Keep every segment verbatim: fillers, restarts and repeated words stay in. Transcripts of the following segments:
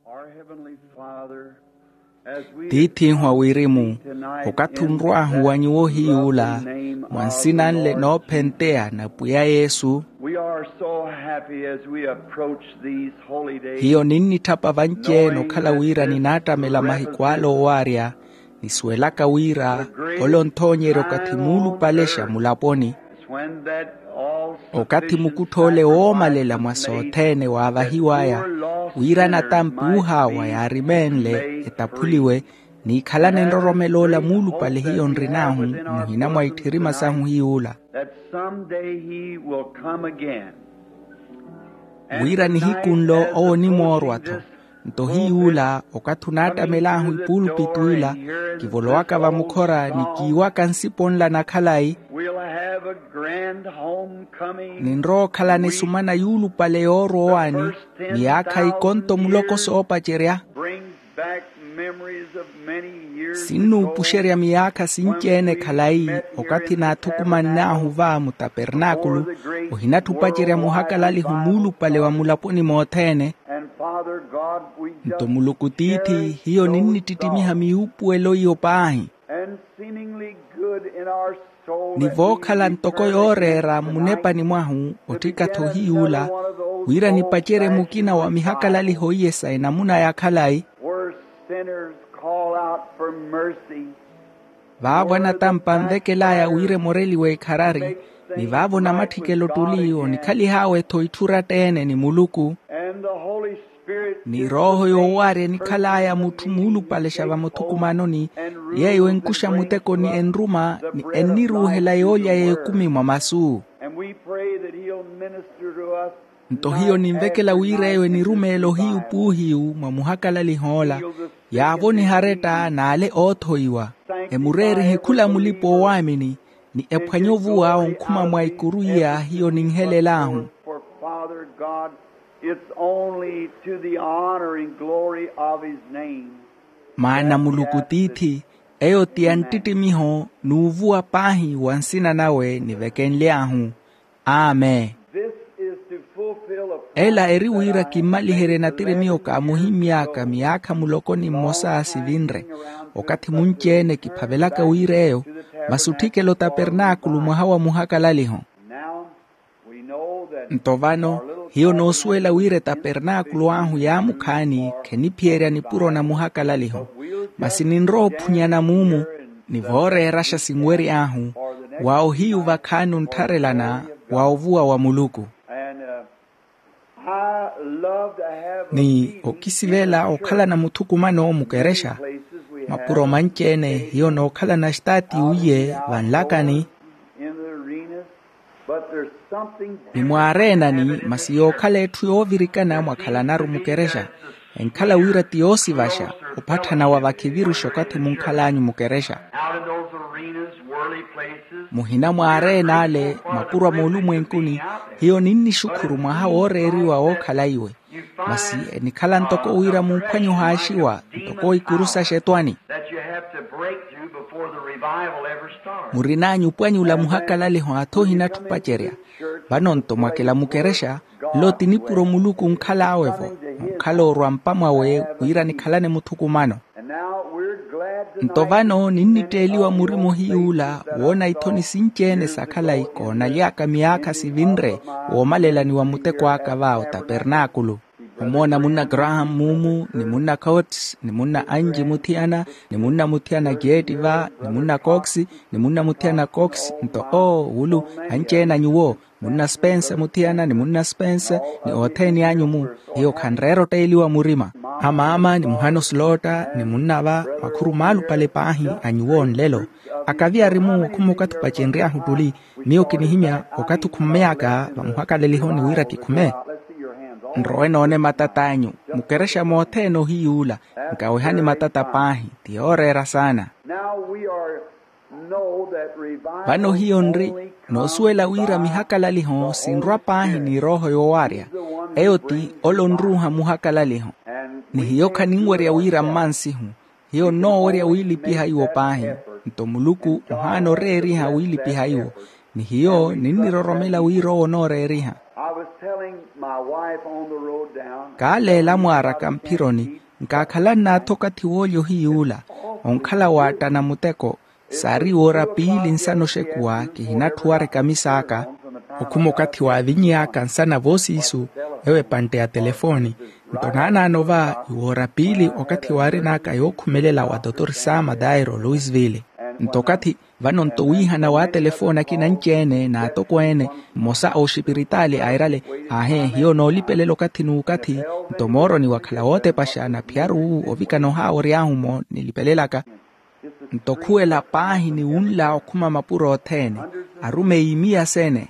Our Heavenly Father, as we tiith'ihu a wirimu, okathi onrw'ahu wa nyuwo hiy'ula, mwa nsina nle noophenteya na pwiya yesu. We are so happy as we approach these holy days. Hiyo ninnitthapa vanci-ene okhala wira ninaattamela mahiku ale oowarya, nisuwelaka wira ole onthoonyerya okathi muulupalexa mulaponi, okathi mukuttha ole woomalela mwa sothene waavahiw'aya, wira anatampi oohaawa yaarimeenle etaphuliwe, niikhalane nroromelo ola muulupale hiyo nrin'ahu muhina mwa itthirima sahu hiy'ula, wira nihiku nlo owo onimoorwa-tho. Nto hiy'ula, okathi onaattamel'ahu epuulupiti ila, kivolowaka vamukhora ni kiiwaka nsipo nla na khalayi, ninrowa okhalana esumana yuulupale yoorwa owaani, miyaakha ikonto muloko soopacerya. Sinnuupuxerya miyaakha sinci-ene khalayi, okathi naathukumann'ahu va mutapernaakulu, ohinatthi opacerya muhakalaliho muulupale wa mulaponi mothene. Nto muluku tiithi, hiyo ninnittittimiha miyuupuwelo iyo paahi. Ni vookhala ntoko yooreera mmunepani mwahu, otthika-tho hiy'ula, wira nipacerye mukina wa mihakalaliho iye sa enamuna ya khalayi, vaavo anatampa anvekel'aya wira emoreliwe ekharari, ni vaavo namatthikelo ottuli onikhalih'awe-tho itthu eratta-ene ni muluku. Ni rooho yoowarya enikhal'aya mutthu muulupalexa vamuthukumanoni, yeeyo enkuxa mutekoni enruma ni enniruuhela yoolya y'ekumi mwa masu. Nto hiyo ninvekela wira eyo enirumeelo hiyu puuhiyu mwa muhakalaliho ola, yaavoniha aretta n'ale oothoiwa, emureerihe khula mulipa oowaamini, ni ephwanye ovuwa onkhuma mwa ikuru iya hiyo ninhelel'ahu. Maana muluku tiithi, eyo ti ya nttittimiho n'uvuwa paahi wa nsina nawe nivekenly'ahu. Amen. Ela eri wira kimmaliherye nattiri miyo kaamuhimmy'aka miyaakha muloko ni mmosa sivinre, okathi munci-ene kiphavelaka wira eyo, masi otthikela otapernaakulu mwaha wa muhakalaliho. Nto vano, hiyo noosuwela wira etapernaakulu ahu yaamukhaani kheniphiyerya nipuro na muhakalaliho, masi ninrowa ophunyana muumu, ni vooreeraxa sinwery'ahu, wa ohiyu vakhaani onttharelana wa ovuwa wa muluku. Ni okisivela okhalana muthukumano mukerexa, mapuro manci-ene hiyo nookhalana xitaati uye vanlakani, ni mwaareenani, masi yookhala etthu yoovirikana mwakhalanaru mukerexa, enkhala wira ti yoosivaxa, opatthana wa vakhiviruxa okathi munkhal'anyu mukerexa. Muhina mwaareena ale mapuro a moolumwenkuni, hiyo ninnixukhuru mwaha wooreeriwa wookhala iwe. Masi enikhala ntoko wira mumphwanye ohaaxiwa ntoko ikuru saxetwani. Murin'anyu opwanyula muhakalaliho athohina atthu opacerya. Vano nto mwakela mukerexa, nlo ti nipuro muluku onkhal'awe-vo, onkhala orwa mpa mwawe wira nikhalane muthukumano. Nto vano ninnitteeliwa murima ohiy'ula woona ithoni sinci-ene sa khalayi koonaly'aka miyaakha sivinre woomalelani wa muteko aka va otapernaakulu, omoona munna graham mumu ni munna coats ni munna anji muthiyana ni munna muthiyana jeeti va ni munna cox ni munna muthiyana cox. Nto oo wulu, anci-ene a nyuwo, munna spense muthiyana ni munna spense, ni othene anyu mu, hiyo khanreera otteeliwa murima. Amaama ni muhana oslota ni munna va, makhuru maalupale paahi a nyuwo nlelo. Akavi ari mu okhuma okathi opacenry'ahu ottuli, miyo kinihimya okathi okhummey'aka vamuhakalelihoni wira kikhume. Nrowe noone matat'anyu, mukerexa mothene ohiy'ula, nkawehani matata paahi, ti yooreera saana. Vano hiyo nri noosuwela wira mihakalaliho sinrwa paahi ni erooho yoowarya. Eyo ti ole onruuha muhakalaliho. Ni hiyo khaninwerya wira mmansihu, hiyo nnoowerya wiilipiha iwo paahi. Nto muluku ohaana oreeriha wiilipiha iwo. Ni hiyo ninniroromela wira owo onooreeriha. Kaaleela mwaaraka mphironi, nkaakhala nnaatha okathi woolya ohiy'ula, onkhala waattana muteko. Saari woora piili nsana oxekuwa, kihinatthuwara ekamisa aka. Okhuma okathi waaviny'aka nsana voosiisu, ewo epantte ya telefooni. Nto naanaano va, iwoora piili okathi waarin'aka yookhumelela wa totori sama dairo louisville. Nto okathi vano nto wiihana wa telefooni akina anci-ene n'atokweene, mmosa a oxipiritaali airale, ahe hiyo noolipelela okathi n'ukathi. Nto mooroni wakhala wootepaxa na phiyaru ovikana ohaawory'ahu-mo nilipelelaka. Nto khuwela paahi ni wunla okhuma mapuro othene, arumeyi miya sene.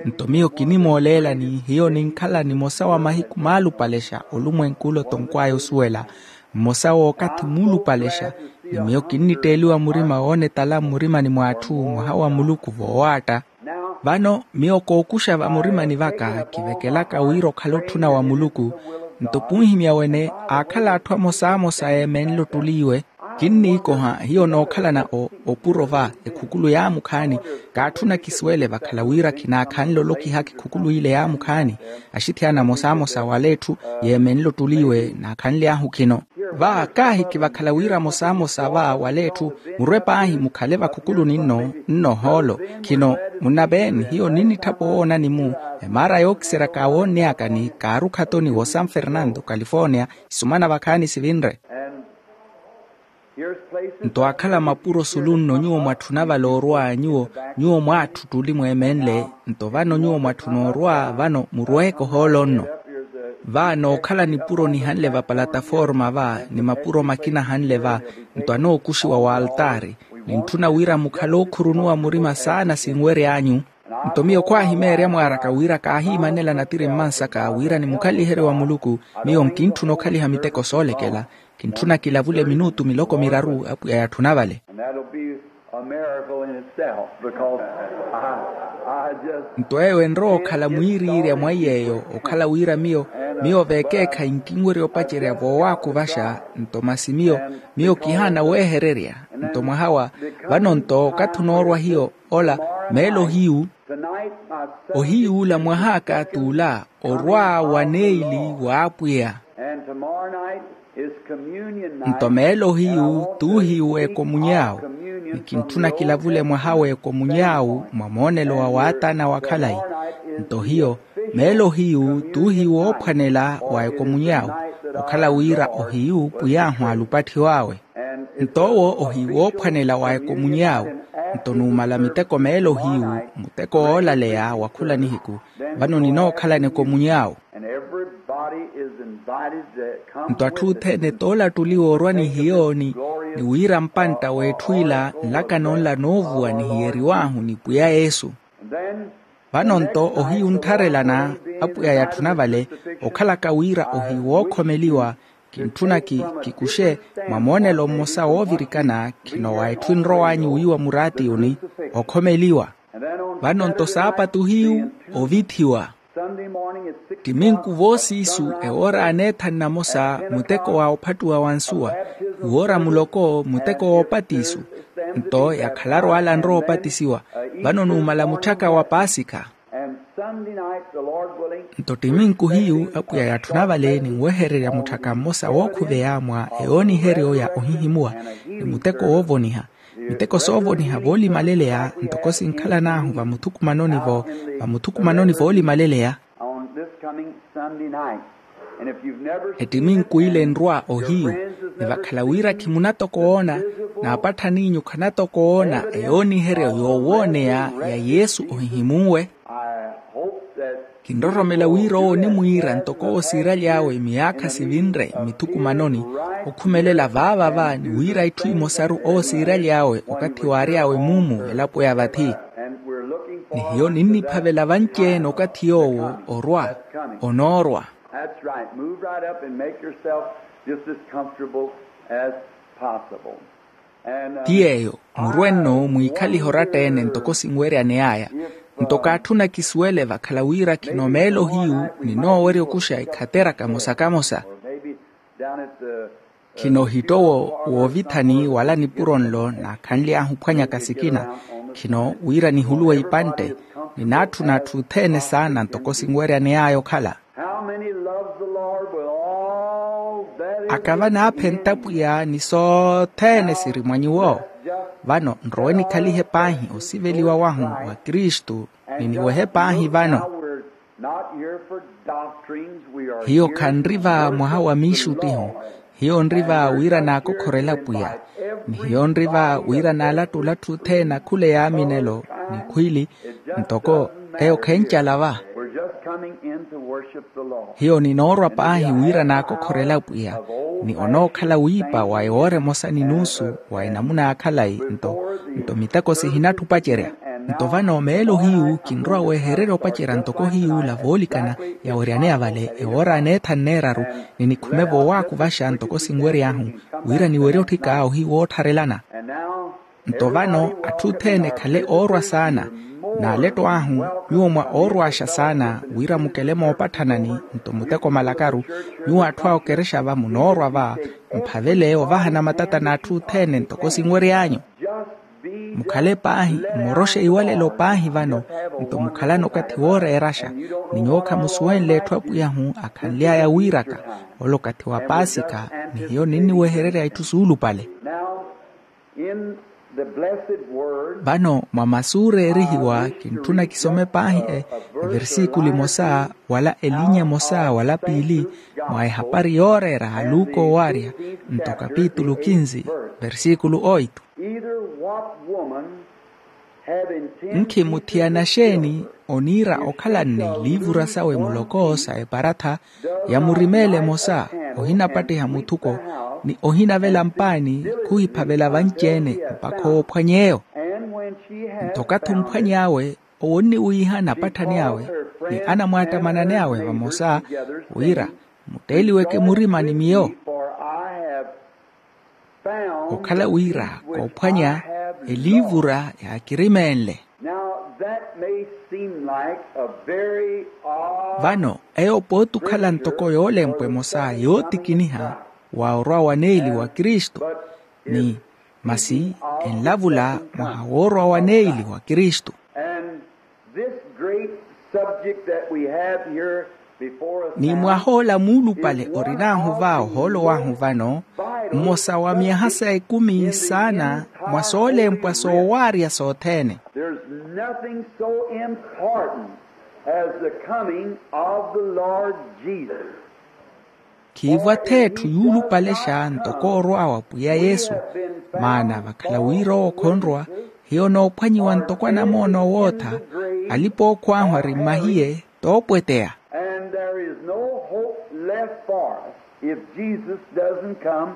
Nto miyo kinimooleelani hiyo ninkhala nimosa wa mahiku maalupalexa olumwenku ole otonkw'aya osuwela, mmosa w'okathi muulupalexa. Ni miyo kinnitteeliwa murima woonetala mmurimani mw'atthu mwaha wa muluku voowaatta. Vano miyo kookuxa vamurimani vaka kivekelaka wira okhala otthuna wa muluku. Nto punhimya wene aakhala atthu amosamosa eemenle ottuli iwe. Kinniikoha hiyo nookhalana opuro va ekhukulu yaamukhaani. Kaatthuna kisuwele vakhala wira khinaakhanle olokihaka ekhukulu ile yaamukhaani. Axithiyana amosamosa wala etthu yeemenle ottuli iwe naakhanly'ahu khino. Va kaahi kivakhala wira amosamosa va wala etthu murwe paahi mukhale vakhukuluni nno nno ohoolo. Khino munnaveeni hiyo ninnitthapa owoonani-mu emaara yookiseryaka awoonny'aka ni kaarukha-toni wo san fernando california. Isumana vakhaani sivinre. Nto aakhala mapuro sulu nno nyuwo mwatthuna vale orwa nyuwo nyuwo mwaatthu ottuli mweemenle. Nto vano nyuwo mwatthuna orwa vano murweeke ohoolo nno. Va nookhala nipuro nihanle va palataforma va ni mapuro makina ahanle va. Nto anookuxiwa w'altaari. Nintthuna wira mukhale ookhurunuwa murima saana sinwery'anyu. Nto miyo khwaahimeerya mwaaraka wira kaahiimanela natiri mmansaka wira nimukhaliherye wa muluku. Miyo nkintthuna okhaliha miteko soolekela. Kintthuna kilavule minutu miloko miraru apwiya yatthuna vale. Nto eyo enrowa okhala mwiiriirya mwa iy'eyo okhala wira miyo miyo vekeekhayi nkinwerya opacerya voowakuvaxa. Nto masi miyo miyo kihaana weehererya. Nto mwaha wa vano nto okathi onoorwa hiyo ola meelo ohiyu ohiyuula mwah'aka t'ula orwa waneili w'apwiya. Nto meelo hiyu t'uhiyu w'ekomuny'awu. Ni kintthuna kilavule mwaha w'ekomuny'awu mwa moonelo wa waataana wa khalayi. Nto hiyo meelo hiyu t'uhiyu woophwanela wa ekomuny'awu okhala wira ohiyu pwiy'ahu alupatthi wawe. Nto owo ohiwoophwanela wa ekomuny'awe. Nto numala miteko meelo hiyu muteko woolaleya wa khula nihiku. Vano ninookhalana ekomuny'awe. Nto atthu othene toolattuliwa orwa ni hiyo ni wira mpantta w'etthu ila nlakano nla noovuwa nihiyeriw'ahu ni pwiya yesu. Vano nto ohiyu nttharelana apwiya yatthuna vale okhalaka wira ohiwookhomeliwa. Kintthuna kikuxe mwa moonelo mmosa woovirikana khino wa etthu enrow'anyu wiiwa muraatiyuni okhomeliwa. Vano nto saapatu hiyu ovithiwa. Ttiminku voosiisu ewoora aneethani namosa muteko wa ophattuwa wa nsuwa. Iwoora muloko muteko woopatisu. Nto yakhalaru ala anrowa opatisiwa. Vano numala mutthaka wa paasikha. Nto ttiminku hiyu apwiya yatthuna vale ninwehererya mutthaka mmosa wookhuveya mwa eyooniheryo ya ohihimuwa ni muteko woovoniha. Miteko soovoniha voolimaleleya ntoko sinkhalan'ahu vamuthukumanoni voolimaleleya. Ettiminku ile enrwa ohiyu. Ni vakhala wira khimunatokoona n'apatthan'inyu khanatokoona eyooniheryo yoowooneya ya yesu ohihimunwe. Kinroromela wira owo onimwiira ntoko owo siiraly'awe miyaakha sivinre mmithukumanoni. Okhumelela vaavava ni wira itthu imosaru owo siiraly'awe okathi waary'awe mumu elapo ya vathi. Ni hiyo ninniphavela vanci-ene okathi yoowo orwa onoorwa. That's right. Move right up and make yourself just as comfortable as possible. Ti yeeyo. Murwe nno mwiikhalihe oratta-ene ntoko sinweryaney'aya. Nto kaatthuna kisuwele vakhala wira khino meelo hiyu ninoowerya okuxa ekhatera kamosa kamosa. Khino ohittowo woovithani wala nipuro nlo naakhanly'ahu ophwanyaka sikina. Khino wira nihuluwe ipantte. Ninaatthuna atthu othene saana ntoko sinweryane aya okhala. How many loves the Lord with all that is aka vanaaphe ntapwiya ni sothene siri mwa nyuwo. Vano nrowe nikhalihe paahi osiveliwa wahu wa kristu, ni niwehe paahi vano. Hiyo khanri va mwaha wa miixuttiho. Hiyo nri va wira naakokhorela pwiya. Ni hiyo nri va wira naalatta olattha othene akhule yaaminelo, ni khwiili ntoko eyo khencala va. Hiyo ninoorwa paahi wira naakokhorela pwiya, ni onookhala wiipa wa ewoora emosa ni nuusu wa enamuna ya khalayi. Nto miteko sihinattha opacerya. Nto vano meelo hiyu kinrowa wehererya opacerya ntoko hiyuula voolikana yaweryaneya vale ewoora aneethanu neeraru, ni nikhume voowakuvaxa ntoko sinwery'ahu, wira niwerye otthika ohiwoottharelana. Nto vano atthu othene ekhale oorwa saana. N'aletto ahu, nyuwo mwa oorw'axa saana wira mukele moopatthanani. Nto muteko malakaru, nyuwo atthu a okerexa va munoorwa va, mphavele ovahana matata n'atthu othene ntoko sinwery'anyu. Mukhale paahi, mmoroxe iwalelo paahi vano. Nto mukhalana okathi wooreeraxa, ni nyuwo khamusuwenle etthu apwiyahu akhanly'aya wiiraka. Ole okathi wa paasika, ni hiyo ninniwehererya itthu suulupale. Vano mwa masu ooreerihiwa kintthuna kisome paahi e, eversikulu emosa wala elinya emosa wala piili, mwa ehapari yooreera a luka owaarya, nto kapitulu kinsi, versikulu oitu. Nkhi muthiyana xeeni oniira okhalanne iliivura sawe muloko sa eparatha, yamurimeela emosa, ohinapattiha muthuko, ni ohinavela mpaani, khuhiphavela vanci-ene mpakha oophwany'eyo. Nto okathi omphwany'awe, owo onniwiiha anapatthani awe ni anamwaattamanani awe vamosa, wira mutteeliweke murima ni miyo. Okhala wira koophwanya eliivura yaakirimeenle. Vano eyo pooti okhala ntoko yoolempwa emosa yootikiniha wa orwa wa neeli wa kristu, ni masi enlavula mwaha woorwa wa neeli wa kristu. Ni mwaha ola muulupale orin'ahu va ohoolo w'ahu vano, mmosa wa myaha sa ekumi saana mwa soolempwa soowaarya sothene. There's nothing so important as the coming of the Lord Jesus. Khiivo ath'etthu yuulupalexa ntoko orwa wa pwiya yesu. Maana vakhala wira owo khonrwa, hiyo onoophwanyiwa ntoko anamoona owootha, alipa-ookhw'ahu ari mmahiye, toopweteya. And there is no hope left for us if Jesus doesn't come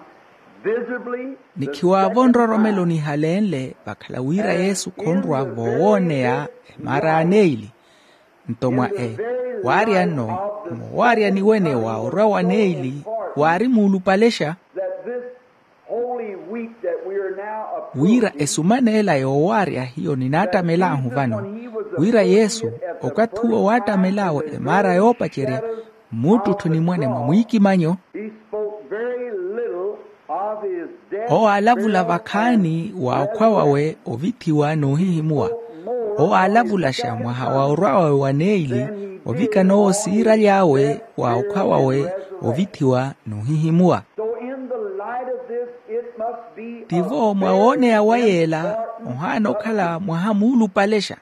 visibly. Ni khiwaavo nroromelo nihalenle vakhala wira yesu khonrwa voowooneya emaara aneili. Nto mwa e waarya nno, moowaryani wene wa orwa wa neili waari muulupalexa. Wira esuman'ela yoowaarya hiyo ninaattamel'ahu vano, wira yesu okathi uwo waattamel'awe emaara yoopacerya, mmuttutthuni mwane mwa mwiikimanyo. Owo aalavula vakhaani wa okhwa wawe ovithiwa n'uhihimuwa. Owo aalavulaxa mwaha wa orwa wawe wa neili, ovikana owo siiraly'awe wa okhwa wawe ovithiwa n'uhihimuwa. Tivo mwa wooneya wa yeela, ohaana okhala mwaha muulupalexa.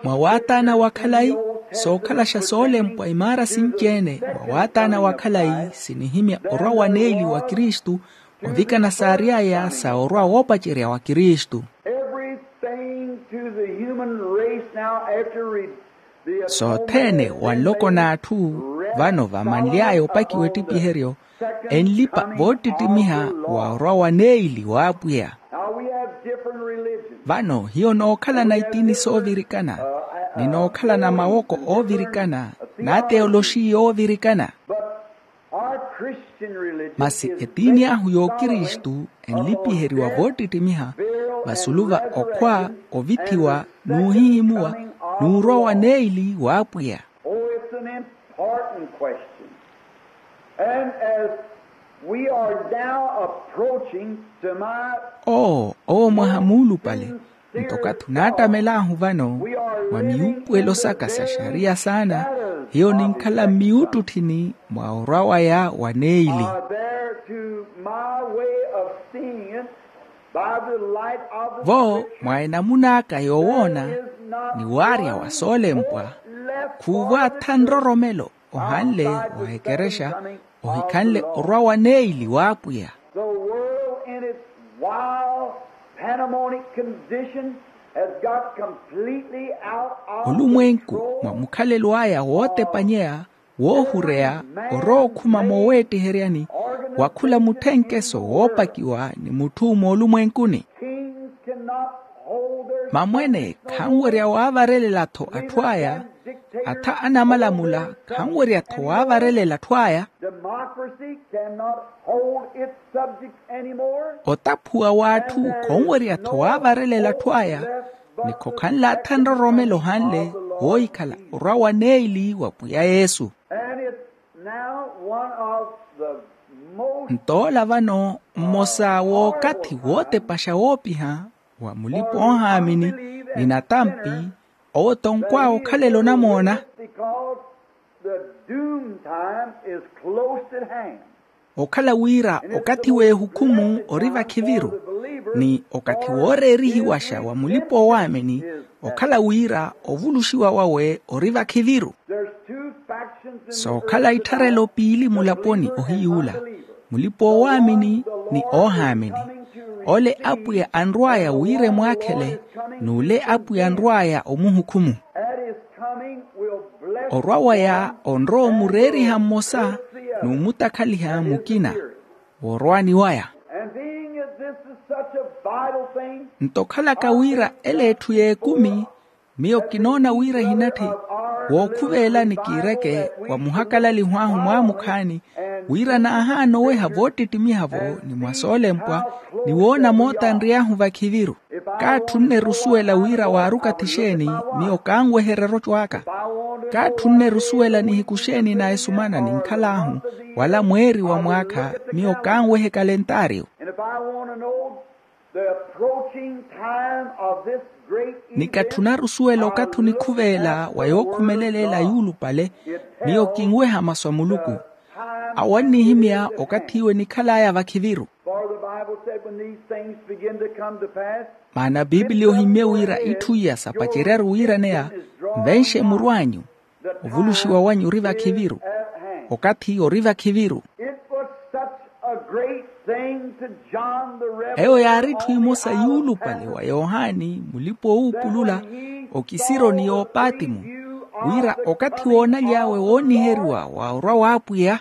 Mwa waataana wa khalayi, sookhalaxa soolempwa imaara sinci-ene mwa waataana wa khalayi sinihimya orwa wa neili wa kristu, ovikana saary'aya sa orwa woopacerya wa kristu. Sothene wa nloko n'atthu vano vamanly'aya opakiwa ettipiheryo, enlipa voottittimiha wa orwa wa neili w'apwiya. Vano hiyo nookhalana itiini soovirikana, ni nookhalana mawoko oovirikana, n'ateoloxiya oovirikana. Masi etiini ahu y'okristu enlipiheriwa voottittimiha vasulu va okhwa, ovithiwa, n'uhihimuwa, n'urwa wa neili w'apwiya. Oh, it's an important question. And as We are now approaching to my oo owo mwaha muulupale. Nto okathi onaattamela ahu vano mwa miyuupuwelo saka sa xariya saana, hiyo ninkhala mmiyuuttutthini mwa orwa waya wa neili. Are there to my way of seeing it, by the light of the vo mwa enamuna aka yoowoona ni waarya wa soolempwa, khuuvo atha nroromelo ohanle wa ekerexa ohikhanle orwa wa neili w'apwiya. The world in its wild, pandemonic condition has got completely out of olumwenku control. Mwa mukhalelo aya wootepanyeya woohureya orowa okhuma mooweettiheryani wa khula mutthenkeso woopakiwa ni mutthu moolumwenkuni. Kings cannot hold their mamwene khanwerya waavarelela-tho atthu aya. Atha anamalamula khanwerya-tho waavarelela atthu aya. Democracy cannot hold its subjects anymore. Otaphuwa w'atthu khonwerya-tho waavarelela atthu aya. Ni khokhanle atha nroromelo ohanle woohikhala orwa wa neili wa pwiya yesu. And it's now one of the most nto ola vano mmosa w'okathi wootepaxa woopiha wa mulipa oohaamini ni natampi owo tonkw'awe okhalela onamoona. Because the doom time is close at hand. Okhala wira okathi w'ehukhumu ori vakhiviru ni okathi wooreerihiwaxa wa mulipa oowaamini okhala wira ovuluxiwa wawe ori vakhiviru. Sookhala ittharelo piili mulaponi ohiy'ula mulipa oowaamini ni oohaamini. Ole apwiya anrw'aya wira emwaakhele n'ule apwiya anrw'aya omuhukhumu. Orwa waya onrowa omureeriha mmosa n'umutakhaliha mukina. Woorwaani waya nto okhalaka wira ela etthu y'ekumi miyo kinoona wira ehinatthi wookhuveelani kiireke wa muhakalaliho ahu mwaamukhaani wira naahaana oweha voottittimiha-vo ni mwa soolempwa ni woona moota nry'ahu vakhiviru. Kaatthunne erusuwela wira waari okathi xeeni miyo kaanweherya eroco aka. Kaatthunne erusuwela nihiku xeeni na esumana ninkhal'ahu wala mweeri wa mwaakha miyo kaanwehe kalentaariyo. Ni katthuna arusuwela okathi onikhuveela wa yookhumelela ela yuulupale miyo kinweha masu a muluku. Awo annihimya okathi iwo enikhal'aya vakhiviru. Maana bibiliya ohimmye wira itthu iya sapaceryaru wiiraneya nvenxe muru anyu ovuluxiwa wanyu ori vakhiviru. Okathi ori vakhiviru. Eyo yaari etthu emosa yuulupale wa yohani mulipa-oowuupulula okisironi y'opatimu wira okathi woonaly'awe wooniheriwa wa orwa w'apwiya.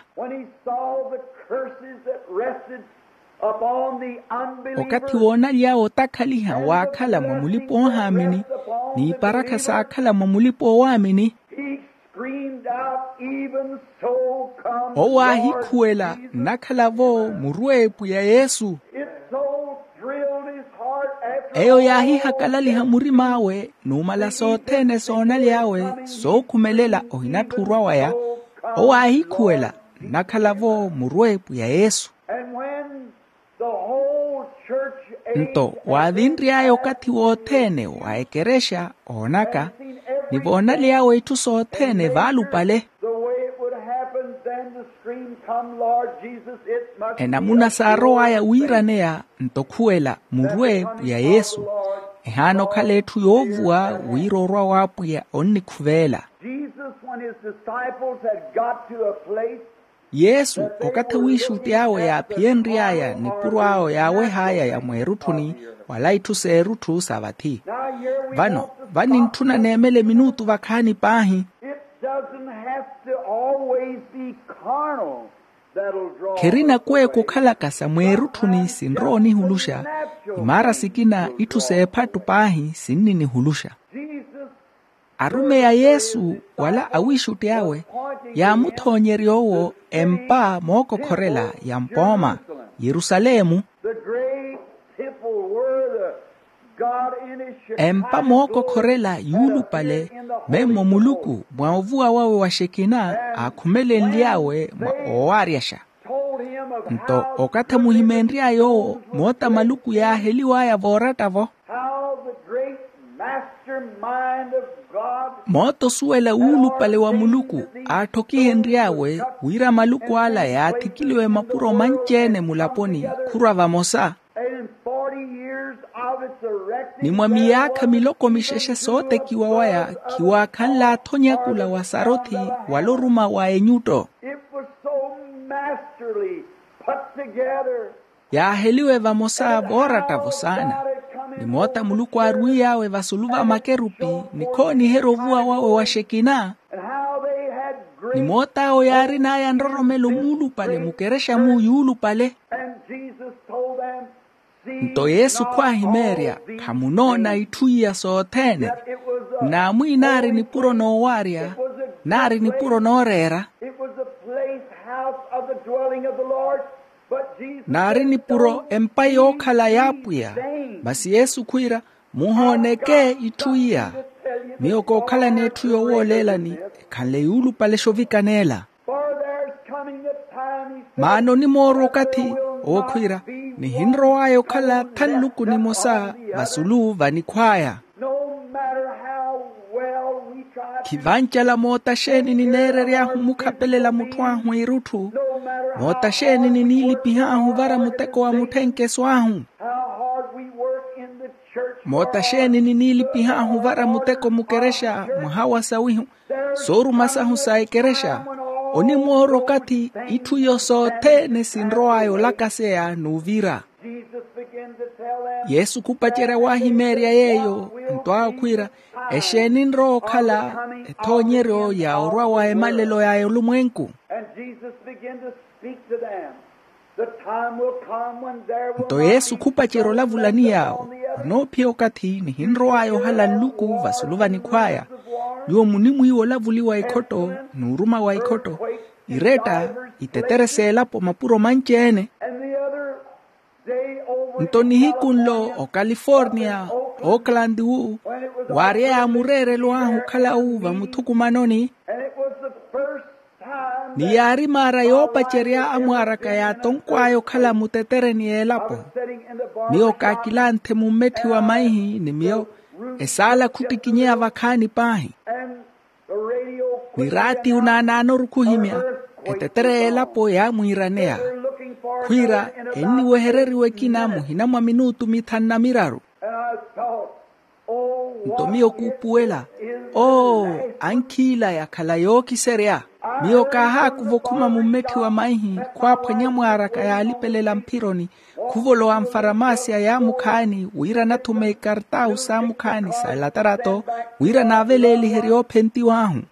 Okathi woonaly'awe otakhaliha waakhala mwa mulipa-oohaamini n'iparakha saakhala mwa mulipa-oowaamini. Owo aahikhuwela nnakhala-vo murweepu ya yesu. Eyo yaahihakalaliha murim'awe numala sothene soonaly'awe sookhumelela ohinatthi orwa waya. Owo aahikhuwela nnakhala-vo murweepu ya yesu. Nto waavinry'aya okathi wothene wa ekerexa oonaka ni voonaly'awe itthu sothene vaalupale. Enamuna saarow'aya wiiraneya nto khuwela murwe pwiya yesu. Ehaana okhala etthu yoovuwa wira orwa w'apwiya onnikhuveela. Yesu okathi awiixutti awe yaaphiyenry'aya nipuro awe yaaweh'aya ya mweerutthuni wala itthu s'erutthu sa vathi. Vano vanintthuna neemele minutu vakhaani paahi. It doesn't have to always be carnal that'll draw. Kherina kweeka okhalaka sa mweerutthuni sinrowa onihuluxa. Imaara sikina itthu s'ephattu paahi sinninihuluxa. Jesus. Arumeyi a yesu wala awiixutti awe yaamuthoonyerya owo empa mookokhorela ya mpooma yerusalemu. The great temple where the God in his Shekinah empa mookokhorela glory yuulupale fell in the holy memmo muluku mwa ovuwa wawe wa xekina aakhumelenly'awe mwa owaaryaxa. Told him Nto okathi amuhimeenry'aya owo, moota maluku yaaheliw'aya vooratta-vo. How the great mastermind of God moota osuwela wuulupale wa muluku aatthokihenry'awe wira maluku ala yaathikiliwe mapuro manci-ene mulaponi khurwa vamosa. And in forty years of its erecting, ni mwa miyaakha miloko mixexe sootekiwa waya khiwaakhanle athonyakula wa sarothi wala oruma wa enyutto. It was so masterly put together. Yaaheliwe vamosa vooratta-vo saana. Ni moota muluku aarwiy'awe vasulu va makerupi, ni khooniherya ovuwa wawe wa xekina. And how they had great ni moot'awo yaarin'aya nroromelo muulupale mukerexa mu yuulupale. And Jesus told them, nto yesu khwaahimeerya, khamunoona itthu iya sothene. Naamwi naari nipuro noowaarya, naari nipuro nooreera. It was the place house of the dwelling of the Lord, but Jesus naari nipuro empa yookhala y'apwiya. Masi yesu khwiira, muhooneke itthu iya. Miyo kookhalani etthu yowooleelani, ekhanle yuulupale xovikaneela. For there's coming a time, he said, maana onimoorwa okathi, ookhwiira, nihinrow'aya okhala tha nluku nimosa vasulu vanikhw'aya. No matter how well we try to, khivancala moota xeeni nineerery'ahu omukhapelela mutthu ahu irutthu, no matter how moota xeeni niniilipih'ahu ovara muteko wa mutthenkeso ahu, how hard we work in the church, moota xeeni niniilipih'ahu ovara muteko mukerexa mwaha wa sawihu, sooruma sahu sa ekerexa, onimoorwa okathi itthu iyo sothene sinrow'aya olakaseya n'uvira. Jesus began to tell them, yesu khupacerya waahimeerya yeeyo, nto aakhwiira, exeeni nrowa okhala ethoonyeryo ya orwa wa emalelo ya olumwenku. And Jesus began to speak to them. The time will come when there will nto yesu khupacerya olavulani yaawo, onoophiya okathi nihinrow'aya ohala nluku vasulu vanikhw'aya. Nyuwo munimwiiwa olavuli wa ikhotto, n'uruma wa ikhotto, iretta, itetere s'elapo mapuro manci-ene. And the other day over nto nihiku nlo okaliforniya, ooklanti wu, waary'aya mureerelo ahu okhala wu vamuthukumanoni. And it was the first time ni yaari maara yoopacerya amwaar'aka yaatonkw'aya okhala mutetereni y'elapo. Miyo kaakilanthe mummetthi wa maihi ni miyo esaala khuttikinyeya vakhaani paahi. Ni raati unaanaanoru khuhimya, etetere y'elapo yaamwiiraneya, khwiira enniwehereriwa ekina muhina mwa minutu mithanu na miraru. Nto miyo kuupuwela, oo, ankhiila yakhala yookiserya. Miyo kaahaakuva okhuma mummetthi wa maihi khwaaphwanya mwaar'aka yaalipelela mphironi, khuvolowa mfaramaasiya yaamukhaani wira anathume ikartawu saamukhaani sa elatarato, wira naaveleeliherye oophentiw'ahu.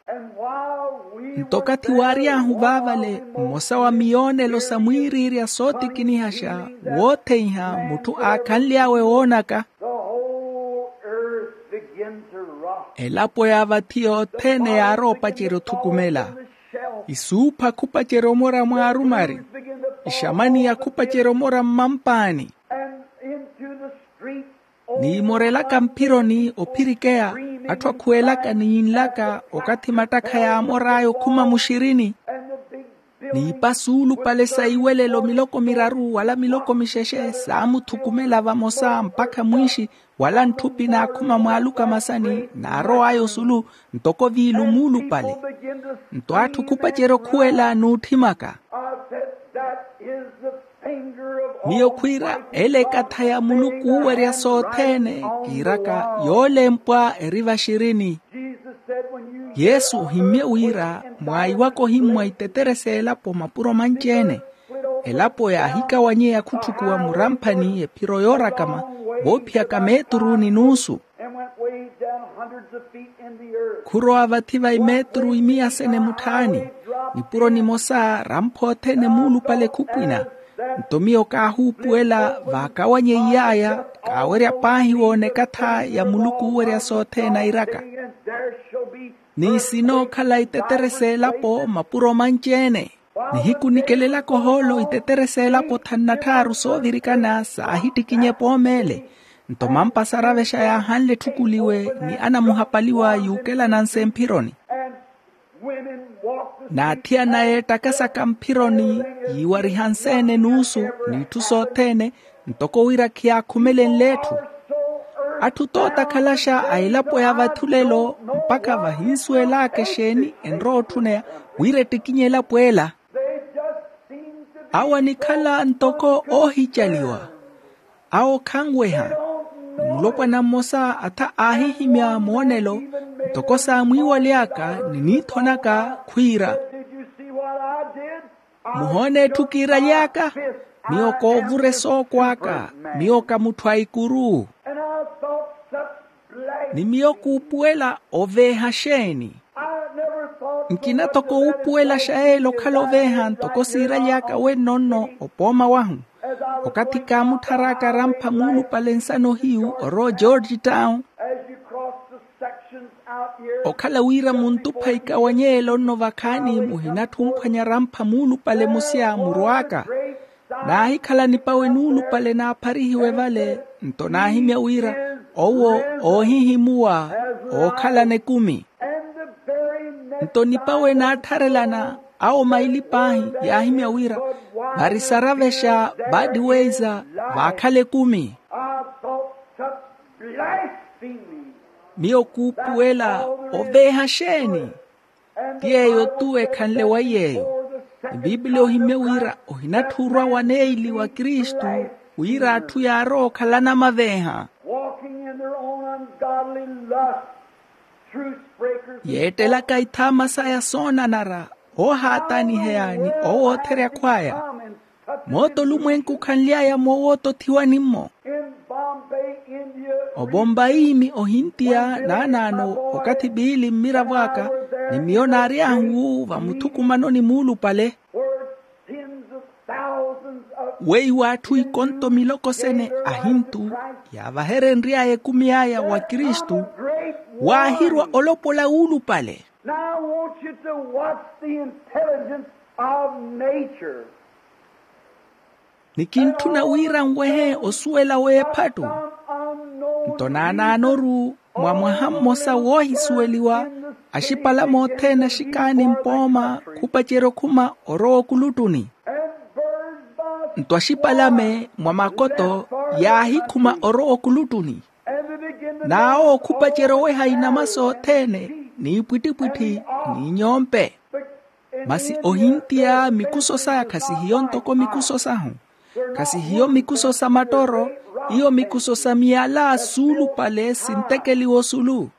Nto okathi waary'ahu vaavale, mmosa wa miyoonelo sa mwiiriirya sootikinihaxa, wootheiha mutthu aakhanly'awe woonaka, elapo ya vathi yothene yaarowa opacerya othukumela. Isuupha khupacerya omora mwa arumari, ixamaniya khupacerya omora mmampaani. Niimorelaka mphironi ophirikeya, atthu akhuwelaka ni yinlaka okathi mattakha yaamor'aya okhuma muxirini. N'ipa suulupale sa iwelelo miloko miraru wala miloko mixexe saamuthukumela vamosa mpakha mwiixi, wala ntthupi naakhuma mwaaluka masani naarow'aya osulu, ntoko viilu muulupale. Nto atthu khupacerya okhuwela n'utthimaka. Miyo khwiira ele ekatha ya muluku oowerya sothene, kiiraka yoolempwa eri vaxirini. Yesu ohimmye wira mwaayiwaka ohimmwa itetere s'elapo mapuro manci-ene. Elapo yaahikawanyeya khutthukuwa muramphani ephiro yoorakama, voophiyaka meeturu ni nuusu. Khurowa vathi va imeeturu imiya sene mutthaani. Nipuro nimosa rampha othene muulupale khupwina. Nto miyo kaahuupuwela vaakawanyeiy'aya, kaawerya paahi woona ekatha ya muluku oowerya sothene airaka. Ni sinookhala itetere s'elapo mapuro manci-ene. Nihiku nikelelaka ohoolo itetere s'elapo thanu na tthaaru soovirikana saahittikinye poomeele. Nto mampa saravexa yaahanle etthukuliwe ni anamuhapaliwa yuukelananse mphironi. Naathiyana yeettakasaka mphironi, yiiwariha nseene n'usu, n'itthu sothene, ntoko wira khiyaakhumelenle etthu. Atthu tootakhalaxa a elapo ya vathulelo, mpakha vahinsuwelaka exeeni enrowa otthuneya, wira ettikinye elapo ela. Awo anikhala ntoko oohicaliwa. Awo khanweha. Ni mulopwana mmosa atha aahihimya moonelo, ntoko saamwiiwaly'aka ni niithon'aka, khwiira, muhoona etthu kiiraly'aka? Miyo koovura esooko aka. Miyo ka mutthu a ikuru. Ni miyo kuupuwela oveeha xeeni? Nkina toko wuupuwelaxa yeela okhala oveeha ntoko siiraly'aka wenno nno opooma wahu. Okathi kaamutthar'aka arampha muulupale nsano hiyu orowa ogeorge town, okhala wira muntupha ikawany'ela onno vakhaani muhinatthunkhwanya arampha muulupale musya murw'aka. Naahikhala nipawe nuulupale naapharihiwe vale, nto naahimya wira owo oohihimuwa ookhalana ekumi. Nto nipawe naattharelana awo maili paahi yaahimya wira, varisaravexa baadiweiza vaakhala ekumi. Miyo kuupuwela oveeha xeeni? Ti yeeyo-tu ekhanle wa yeeyo. Ni bibiliya ohimye wira ohinatthuurwa waneili wa kristu, wira atthu yaarowa okhalana maveeha. Yeettelaka ithaama saya soonanara, oohaataniheya ni owootherya akhw'aya. Moota olumwenku khanly'aya moowootothiwani-mmo. Obombayi ni ohintiya naanaano, okathi piili mmiravo aka, ni miyo naaryahu vamuthukumanoni muulupale. Weiwo atthu ikonto miloko sene ahintu, yaavaherenry'aya ekumi aya wa kristu, waahirwa olopola wuulupale. Now I want you to watch the intelligence of nature. Ni kintthuna wira nwehe osuwela w'ephattu. Nto naanaanoru mwa mwaha mmosa woohisuweliwa, axipalame othene axikaani mpooma khupacerya okhuma orowa okuluttuni. Nto axipalame mwa makoto yaahikhuma orowa okuluttuni. N'awo khupacerya oweha inama sothene, n'ipwittipwitthi, n'inyompe. Masi ohintiya mikuso saya khasihiyo ntoko mikuso sahu. Khasihiyo mikuso sa mattoro, iyo mikuso sa miyala suulupale sintekeliwa osulu.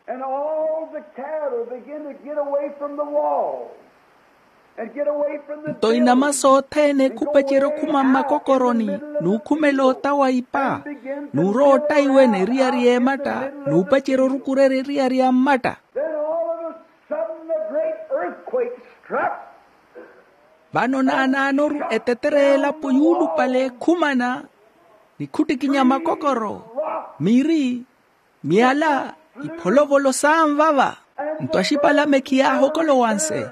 Nto inama sothene khupacerya okhuma mmakokoroni, n'ukhumela ota wa ipa, n'urowa otta iwene eriyari y'ematta, n'upacerya orukurerya eriyari ya mmatta. Vano naanaanoru etetere y'elapo yuulupale ekhumana, nikhuttikinya makokoro, miri, miyala, ipholovolo saanvava. Nto axipalame khiyaahokolowanse,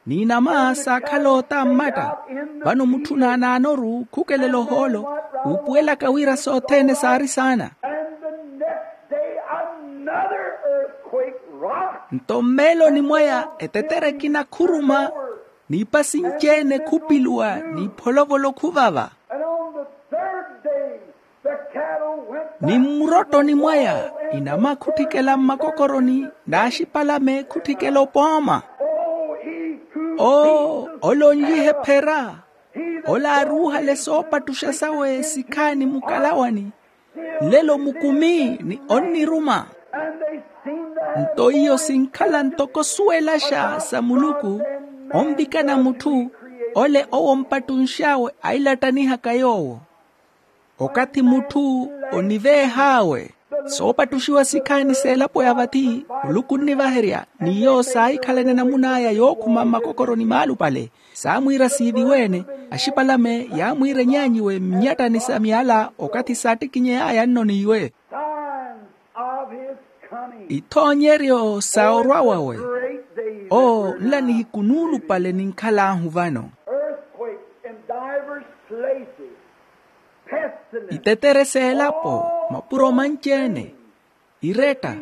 n'inama saakhala ota mmatta. Vano mutthu naanaanoru khukelela ohoolo, wuupuwelaka wira sothene saari saana. Nto mmeeloni mwaya etetere ekina khuruma, n'ipa sinci-ene khupiluwa, n'ipholovolo khuvava. Ni mmurottoni mwaya inama khutthikela mmakokoroni, n'axipalame khutthikela opooma. Oo, ole onlihe phera, ole aaruuhale soopattuxa sawe sikhaani mukalawani, nlelo mukumi ni onniruma. Nto iyo sinkhala ntoko suwelaxa sa muluku, onvikana mutthu, ole owo ompattunx'awe ailattanihaka yoowo. Okathi mutthu oniveeh'awe soopattuxiwa sikhaani s'elapo ya vathi, muluku onnivaherya, n'iyo saahikhalana enamun'aya yookhuma mmakokoroni maalupale. Saamwiira siiviwe-ene, axipalame yaamwiira enyaanyiwe mminyattani sa miyala okathi saattikinyey'aya nno n'iwe. Ithoonyeryo sa orwa wawe. Oo, nla nihiku nuulupale ninkhal'ahu vano. Itetere s'elapo, mapuro manci-ene, iretta,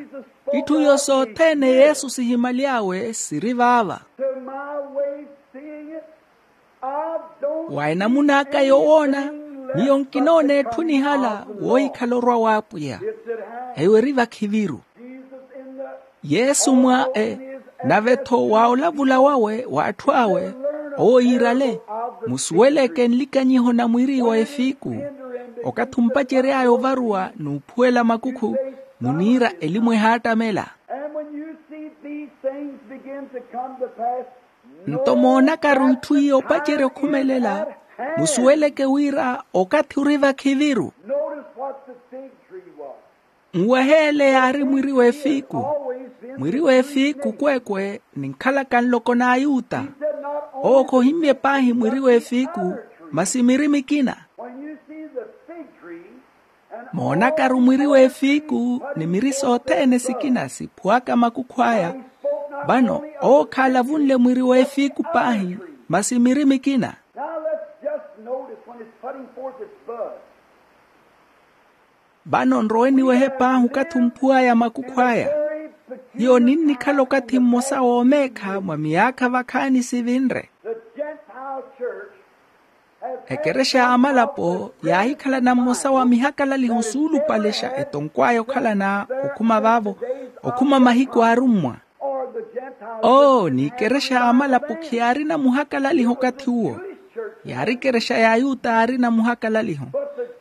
itthu iyo sothene yesu sihimaly'awe siri vaava. Wa enamun'aka yowoona, miyo nkinoona etthu nihala woohikhala orwa w'apwiya. Eyo eri vakhiviru. Yesu mwa e, nave-tho wa olavula wawe w'atthu awe, owo yiirale, musuweleke nlikanyiho na mwiri wa efiiku, okathi ompacery'aya ovaruwa n'uphuwela makukhu, muniira elimu ehaattamela. And when you see these things begin to come to pass, nto moonakaru itthu iyo opacerya okhumelela, musuweleke wira okathi ori vakhiviru. Notice what the fig tree was. Nweheele yaari mwiri w'efiiku. Mwiri w'efiiku kweekwe ninkhalaka nloko n'ayuta. Owo khohimmye paahi mwiri w'efiiku, masi miri mikina. When you see the fig tree, moonakaru mwiri w'efiiku ni miri sothene sikina siphuwaka makukhu aya. Vano owo khaalavunle mwiri w'efiiku paahi, masi miri mikina. Now let's just notice when it's putting forth its bud. Vano nrowe niwehe paahi okathi omphuw'aya makukhu aya. Hiyo ninnikhala okathi mmosa w'omeekha mwa miyaakha vakhaani sivinre. The Gentile church has had ekerexa y'amalapo yaahikhalana mmosa wa mihakalaliho suulupalexa etonkw'aya okhalana okhuma vaavo, okhuma mahiku aarummwa. Oo, n'ikerexa y'amalapo khiyaarina muhakalaliho okathi uwo. Yaari ikerexa y'ayuta yaarina muhakalaliho.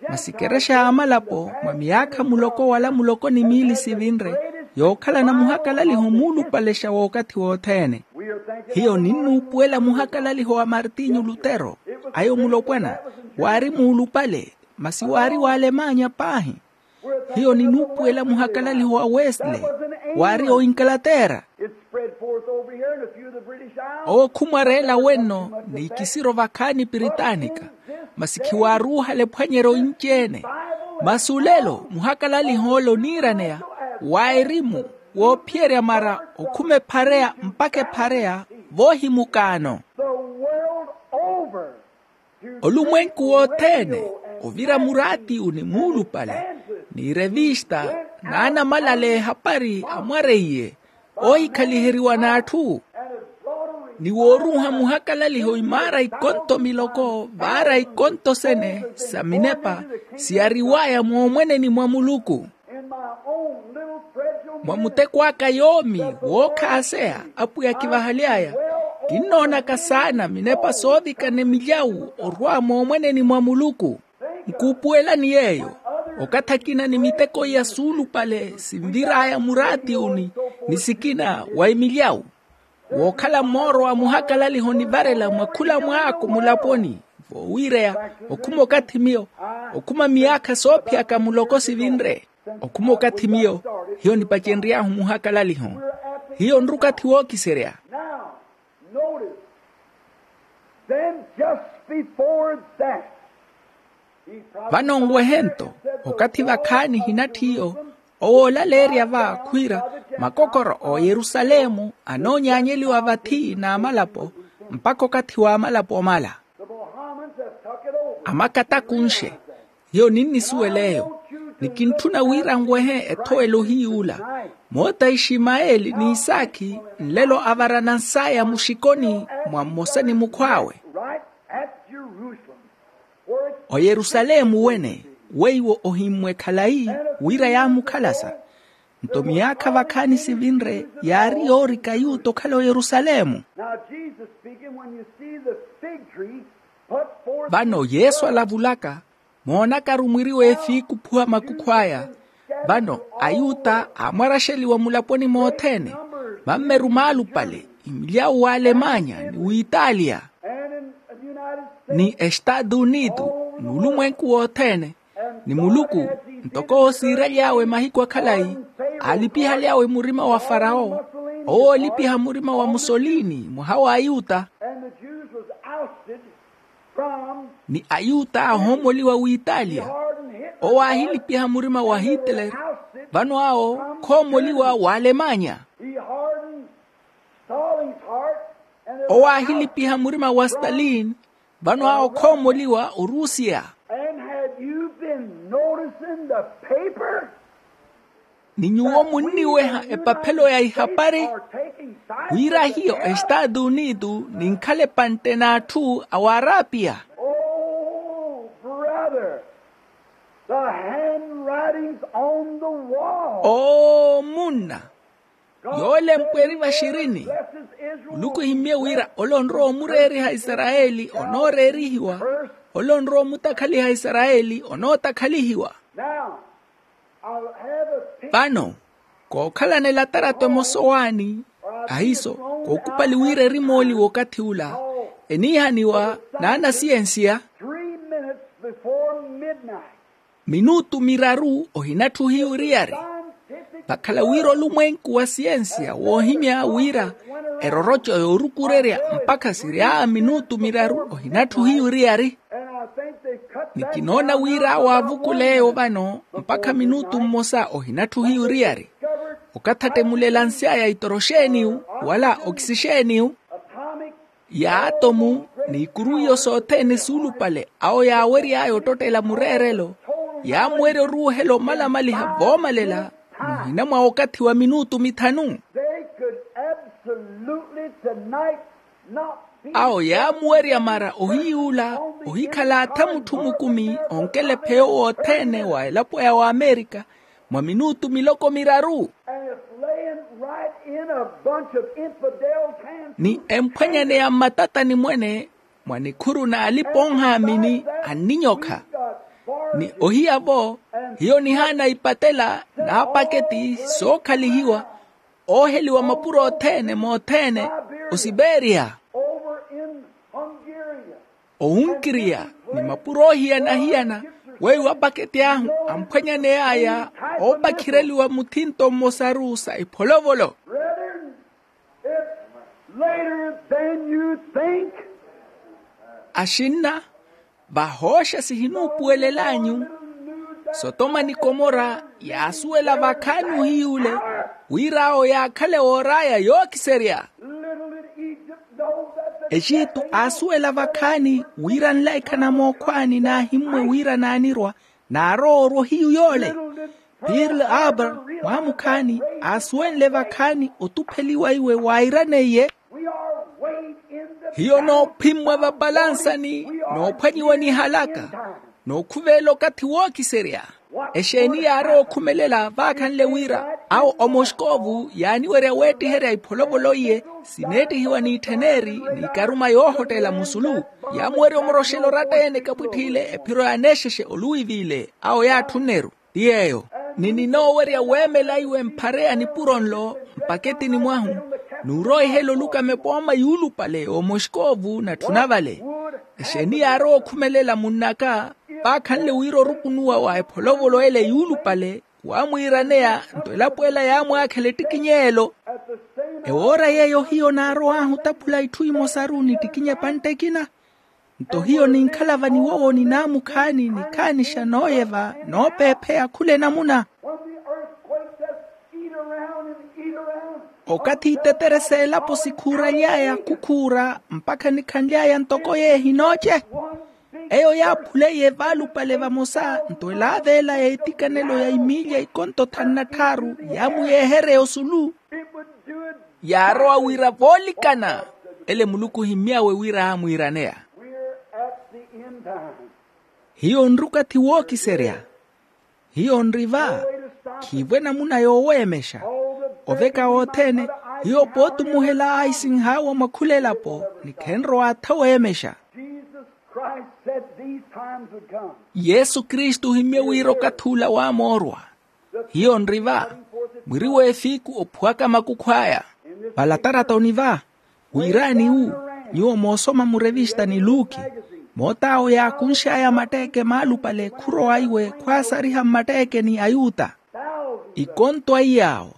Masi ikerexa y'amalapo mwa miyaakha muloko wala muloko ni miili sivinre, yookhalana muhakalaliho muulupalexa w'okathi wothene. Hiyo ninnuupuwela muhakalaliho wa martinyu lutero. Ayo mulopwana, waari muulupale, masi waari w'alemanya paahi. Hiyo ninuupuwela muhakalaliho wa wesley, waari oinkalatera. It spread forth over here in a few of the British Isles. Owo khumwareela wenno n'ikisiro vakhaani piritanika, masi khiwaaruuhale ephwanyeryo inci-ene. Masi olelo muhakalaliho ole oniiraneya wa erimu, woophiyerya mara okhuma ephareya mpakha ephareya, voohimukaano. The world over. Olumwenku wothene, ovira muraatiyu ni muulupale, ni revista, n'anamalale ehapari amwareiye, oohikhaliheriwa n'atthu. Ni wooruuha muhakalaliho imaara ikonto miloko vaara ikonto sene sa minepa, siyariw'aya moomweneni mwa muluku. Mwa muteko aka yoomi wookhaaseya apwiya kivahaly'aya, kinnoonaka saana minepa soovikana emilyawu orwa moomweneni mwa muluku. Nkuupuwelani yeeyo, okathi akina ni miteko iya suulupale sinvir'aya muraatiyuni, ni sikina wa emilyawu. Wookhala mmooro wa muhakalaliho onivarela mwa khula mwaako mulaponi, voowiireya, okhuma okathi miyo, okhuma miyaakha soophiyaka muloko sivinre. Okhuma okathi miyo, hiyo nipacenry'ahu muhakalaliho. Hiyo nri okathi wookiserya. Now, notice, then just before that, vano nwehe nto, okathi vakhaani hinatthi iyo, owoolaleerya va khwiira, makokoro a oyerusalemu anoonyaanyeliwa vathi n'amalapo, mpakha okathi w'amalapo omala. Amakatakunxe. Hiyo ninnisuwela eyo. Nikintthuna wira nwehe ethowelo hiy'ula, moota a iximayeli n'isakhi nlelo avarana nsaya muxikoni mwa mmosa ni mukhw'awe. Oyerusalemu wene, weiwo ohimmwe khalayi, wira yaamukhalasa. Nto miyaakha vakhaani sivinre yaari yoorika ayuta okhala oyerusalemu. Now Jesus speaking, when you see the fig tree put forth. Vano yesu alavulaka, moonakaru mwiri w'efiiku ophuwa makukhu aya. Vano ayuta aamwaraxeliwa mulaponi mothene, mammeru maalupale, imilyawu w'alemanya ni w'italia, ni estaatu unitu, n'ulumwenku wothene. Ni muluku, ntoko owo siiraly'awe mahiku akhalayi, aalipihaly'awe murima wa farawo, owo oolipiha murima wa musolini mwaha w'ayuta. Ni ayuta aahoomoliwa w'italia, owo aahilipiha murima wa hitler, vano awo khoomoliwa w'alemanya. Owo aahilipiha murima wa stalin, vano awo khoomoliwa orusiya. And have you been noticing the paper? Ni nyuwo munniweha epaphelo ya ihapari, wira hiyo estaatu unitu ninkhala epantte n'atthu a w'arapiya. The handwritings on the wall. Omunna, yoolempwa eri vaxirini. Muluku ohimmye wira ole onrowa omureeriha isarayeli onooreerihiwa. Ole onrowa omutakhaliha isarayeli onootakhalihiwa. Now, I'll have a picture. Vano, kookhalana elatarato emosa owaani, ahiiso, kookupali wira erimooli w'okathi ula eniihaniwa n'anasiyensiya. Three minutes before midnight. Minutu miraru ohinatthuhiya oriyari. Vakhala wira olumwenku wa siyensiya woohimya wira eroroco yoorukurerya mpakha sirya minutu miraru ohinatthuhiya oriyari. Ni kinoona wira awo aavukula eyo vano mpakha minutu mmosa ohinatthuhiya oriyari. Okathattemulela nsyaya itoroxeeniyu wala okisixeeniyu, yaatomu, n'ikuru iyo sothene suulupale awo yaawery'aya ottottela mureerelo, yaamuwerya oruuhela omalamaliha voomalela muhina mwa okathi wa minutu mithanu. They could absolutely tonight not be. Awo yaamuwerya mara ohiyuula ohikhala atha mutthu mukumi onkelephe yoowo othene wa elapo ya wamerika mwa minutu miloko miraru. And it's laying right in a bunch of infidels' hands. Ni emphwanyaneya mmatatani mwene mwa nikhuru n'alipa-onhaamini anninyokha. Ni ohiya-vo hiyo nihaana ipatela n'apaketi sookhalihiwa ooheliwa mapuro othene mothene osiperia. Over in Hungary. Ohunkiriya ni mapuro oohiyana-hiyana weiwo apaketi ahu amphwanyaney'aya oopakhireliwa muthinto mmosaru sa ipholovolo. Brethren, it's later than you think. Axinna, vahooxa sihinuupuwelel'anyu. Sotoma ni komora yaasuwela vakhaani ohiy'ule wira awo yaakhale woor'aya yookiserya. Little did Egypt know that the exitu aasuwela vakhaani wira nlaikha na mookhwaani naahimmwe wira naanirwa naarowa orwa ohiyu yoole. Pearl Harbor mwaamukhaani aasuwenle vakhaani otupheliwa iwe waayiraneiye. Hiyo noophimmwa vapalansani noophwanyiwa nihalaka nookhuvelela okathi wookiserya. Exeeni yaarowa okhumelela vaakhanle wira awo omoskovu yaaniwerya weettiherya ipholovolo iye sineettihiwa n'ittheneri n'ikaruma yoohotteela musulu. Yaamuwerya omoroxela oratta-ene kapwitth'ile ephiro ya anexexe oluwiv'ile awo yaatthunneru. Ti yeeyo ni ninoowerya weemela iwe mphare ya nipuro nlo mpaketini mwahu n'uroihela oluka mepooma yuulupale omoskovu natthuna vale. Exeeni yaarowa okhumelela munn'aka vaakhanle wira orukunuwa wa epholovolo ele yuulupale waamwiiraneya nto elapo ela yaamwaakhela ettikiny'elo. Ewoora yeeyo hiyo naarow'ahu otaphula itthu imosaru ni ettikinya epantte ekina. Nto hiyo ninkhala vanivowoni naamukhaani nikhaanixa nooyeva noopeepheya khula enamuna. Okathi itetere s'elapo sikhuuraly'aya khukhuura mpakha nikhanly'aya ntoko yeehi nooce. Eyo yaaphuleiye vaalupale vamosa nto elaav'ela ya etikanelo ya imiilya ikonto thanu na tthaaru yaamuyeehereya osulu. Yaarowa wira voolikana ele muluku ohimmy'awe wira aamwiiraneya. Hiyo nri okathi wookiserya. Hiyo nri va. Khiivo enamuna yooweemexa. Oveka wothene hiyo pootumuhela aisinh'awe mwa khula elapo ni khenrowa atha weemexa. Yesu kristu ohimmye wira okathi ula waamoorwa. Hiyo nri va. Mwiri w'efiiku ophuwaka makukhw'aya. Valataratoni va wiraani wu nyuwo moosoma murevista ni luki moot'awo yaakunx'aya matteeke maalupale khurowa iwe khwaasariha mmatteekeni ayuta. Ikonto a iy'awo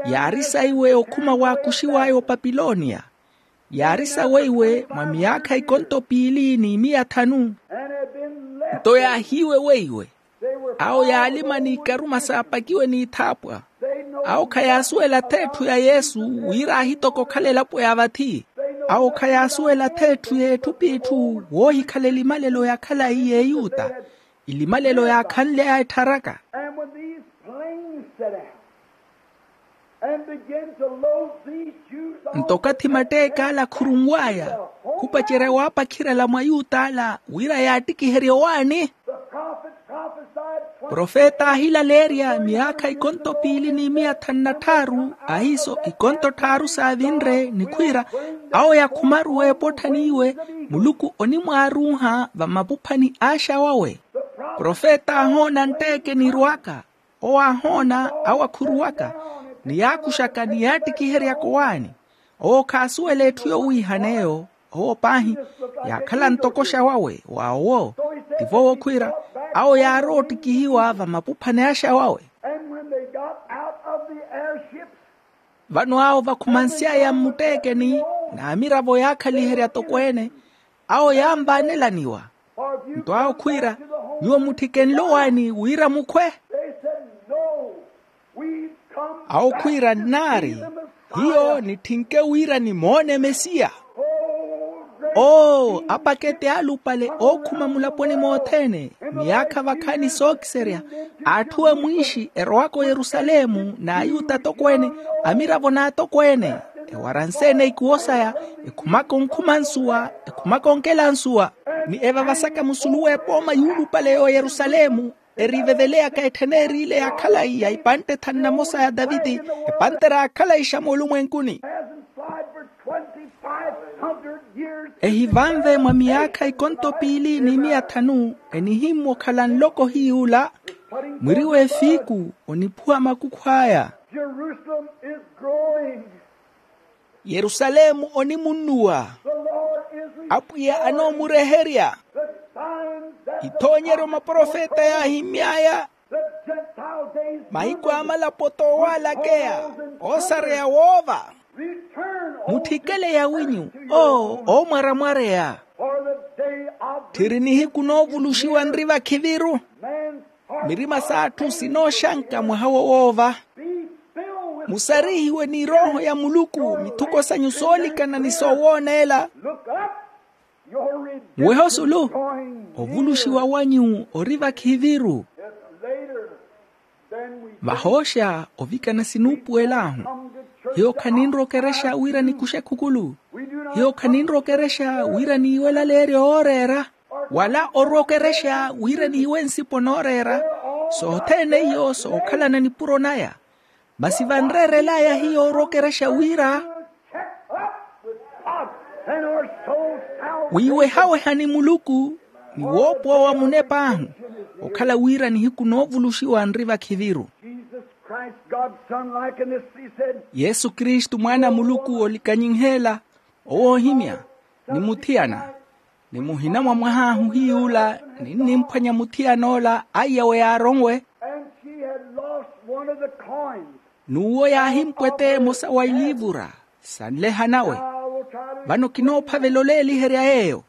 yaari saiwe okhuma waakuxiw'aya opapilonia. Yaari saweiwe mwa miyaakha ikonto piili ni miya thanu. Nto yaahiiwe weiwe awo yaalima n'ikaruma saapakiwe n'ithaapwa. Awo khayaasuwela ath'etthu ya yesu wira aahitoka okhala elapo ya vathi. Awo khayaasuwela ath'etthu y'etthu p'itthu woohikhala elimalelo ya khalayi y'eyuta. Elimalelo yaakhanly'aya ettharaka. Nto okathi matteek'ala akhurunw'aya khupacerya waapakhirela mwa ayut'ala wira yaattikiherye owaani. Profeta aahilaleerya miyaakha ikonto piili ni miya thanu na tthaaru, ahiiso ikonto tthaaru saavinre nikhwiira, awo yakhumaruwa epotthaniiwe, muluku onimwaaruuha vamapuphani aaxa wawe. Profeta aahoona ntteeke nirwaka, owo aahoona, awo akhuruwaka, ni yaakuxaka ni yaattikiheryaka owaani. Owo khaasuwela etthu yowiihan'eyo. Owo paahi, yaakhala ntokoxa wawe wa owo. Tivo wokhwiira, awo yaarowa ottikihiwa vamapuphani axa wawe. And when they got out of the airships, vano awo vakhumansy'aya mmutteekeni, n'amiravo yaakhaliherya tokweene, awo yaanvaanelaniwa. Nto awo khwiira, nyuwo mutthikenle owaani wira mukhwe? They said, no, we've come awo khwiira, nnaari, hiyo nitthinke wira nimoone mesiya. Oo, apakete alupale ookhuma mulaponi mothene, miyaakha vakhaani sookiserya, atthu amwiixi erowaka oyerusalemu n'ayuta atokweene, amiravo n'atokweene, ewaranse-ene ikuwo saya, ekhumaka onkhuma nsuwa, ekhumaka onkela nsuwa, ni evavasaka musulu w'epooma yuulupale y'oyerusalemu, eriveveleyaka etthene eriile ya khalayi ya ipantte thanu na mosa ya taviti, epantte raakhalayixa moolumwenkuni. Ehivanve mwa miyaakha ikonto piili ni miya thanu, enihimmwa okhala nloko hiy'ula. Mwiri w'efiiku oniphuwa makukhu aya. Jerusalem is growing. Yerusalemu onimunnuwa. The Lord is restoring. Apwiya anoomureherya. The signs that the ithoonyeryo maprofeta yaahimmy'aya. The Gentile days. Mahiku a malapo toowaalakeya, oosareya woova. Return, O mutthikeleye awinyu, oo oomwaramwareya. For the day of tthiri nihiku noovuluxiwa nri vakhiviru. Man's heart. Mirima s'atthu sinooxanka mwaha wowoova. Be filled with. Musarihiwe ni erooho ya muluku mithuko sanyu soolikana ni soowooneela. Look up. Your redemption. Muwehe osulu, drawing near. Ovuluxiwa wanyu ori vakhiviru. It's later than we think. Vahooxa ovikana sinuupuwel'ahu. Hiyo khaninrokerexa wira nikuxe khukulu. Hiyo khaninrokerexa wira niiwe elaleeryo ooreera, wala orokerexa wira niiwe nsipo nooreera. Sothene iyo sookhalana nipuro naya. Masi vanreerel'aya hiyo orokerexa wira wiiwehaweha ni muluku, ni woopowa wa munep'ahu, okhala wira nihiku noovuluxiwa nri vakhiviru. Jesus Christ, God's Son, likeness, he said. Yesu kristu mwaana a muluku oolikanyinheela, owo oohimya, ni muthiyana, ni muhina mwa mwah'ahu hiy'ula ninnimphwanya muthiyan'ola aiyawe yaaronwe. And she had lost one of the coins. N'uwo yaahimpwete emosa wa iliivura sanleha nawe. Vano kinoophavela oleeliherya yeeyo.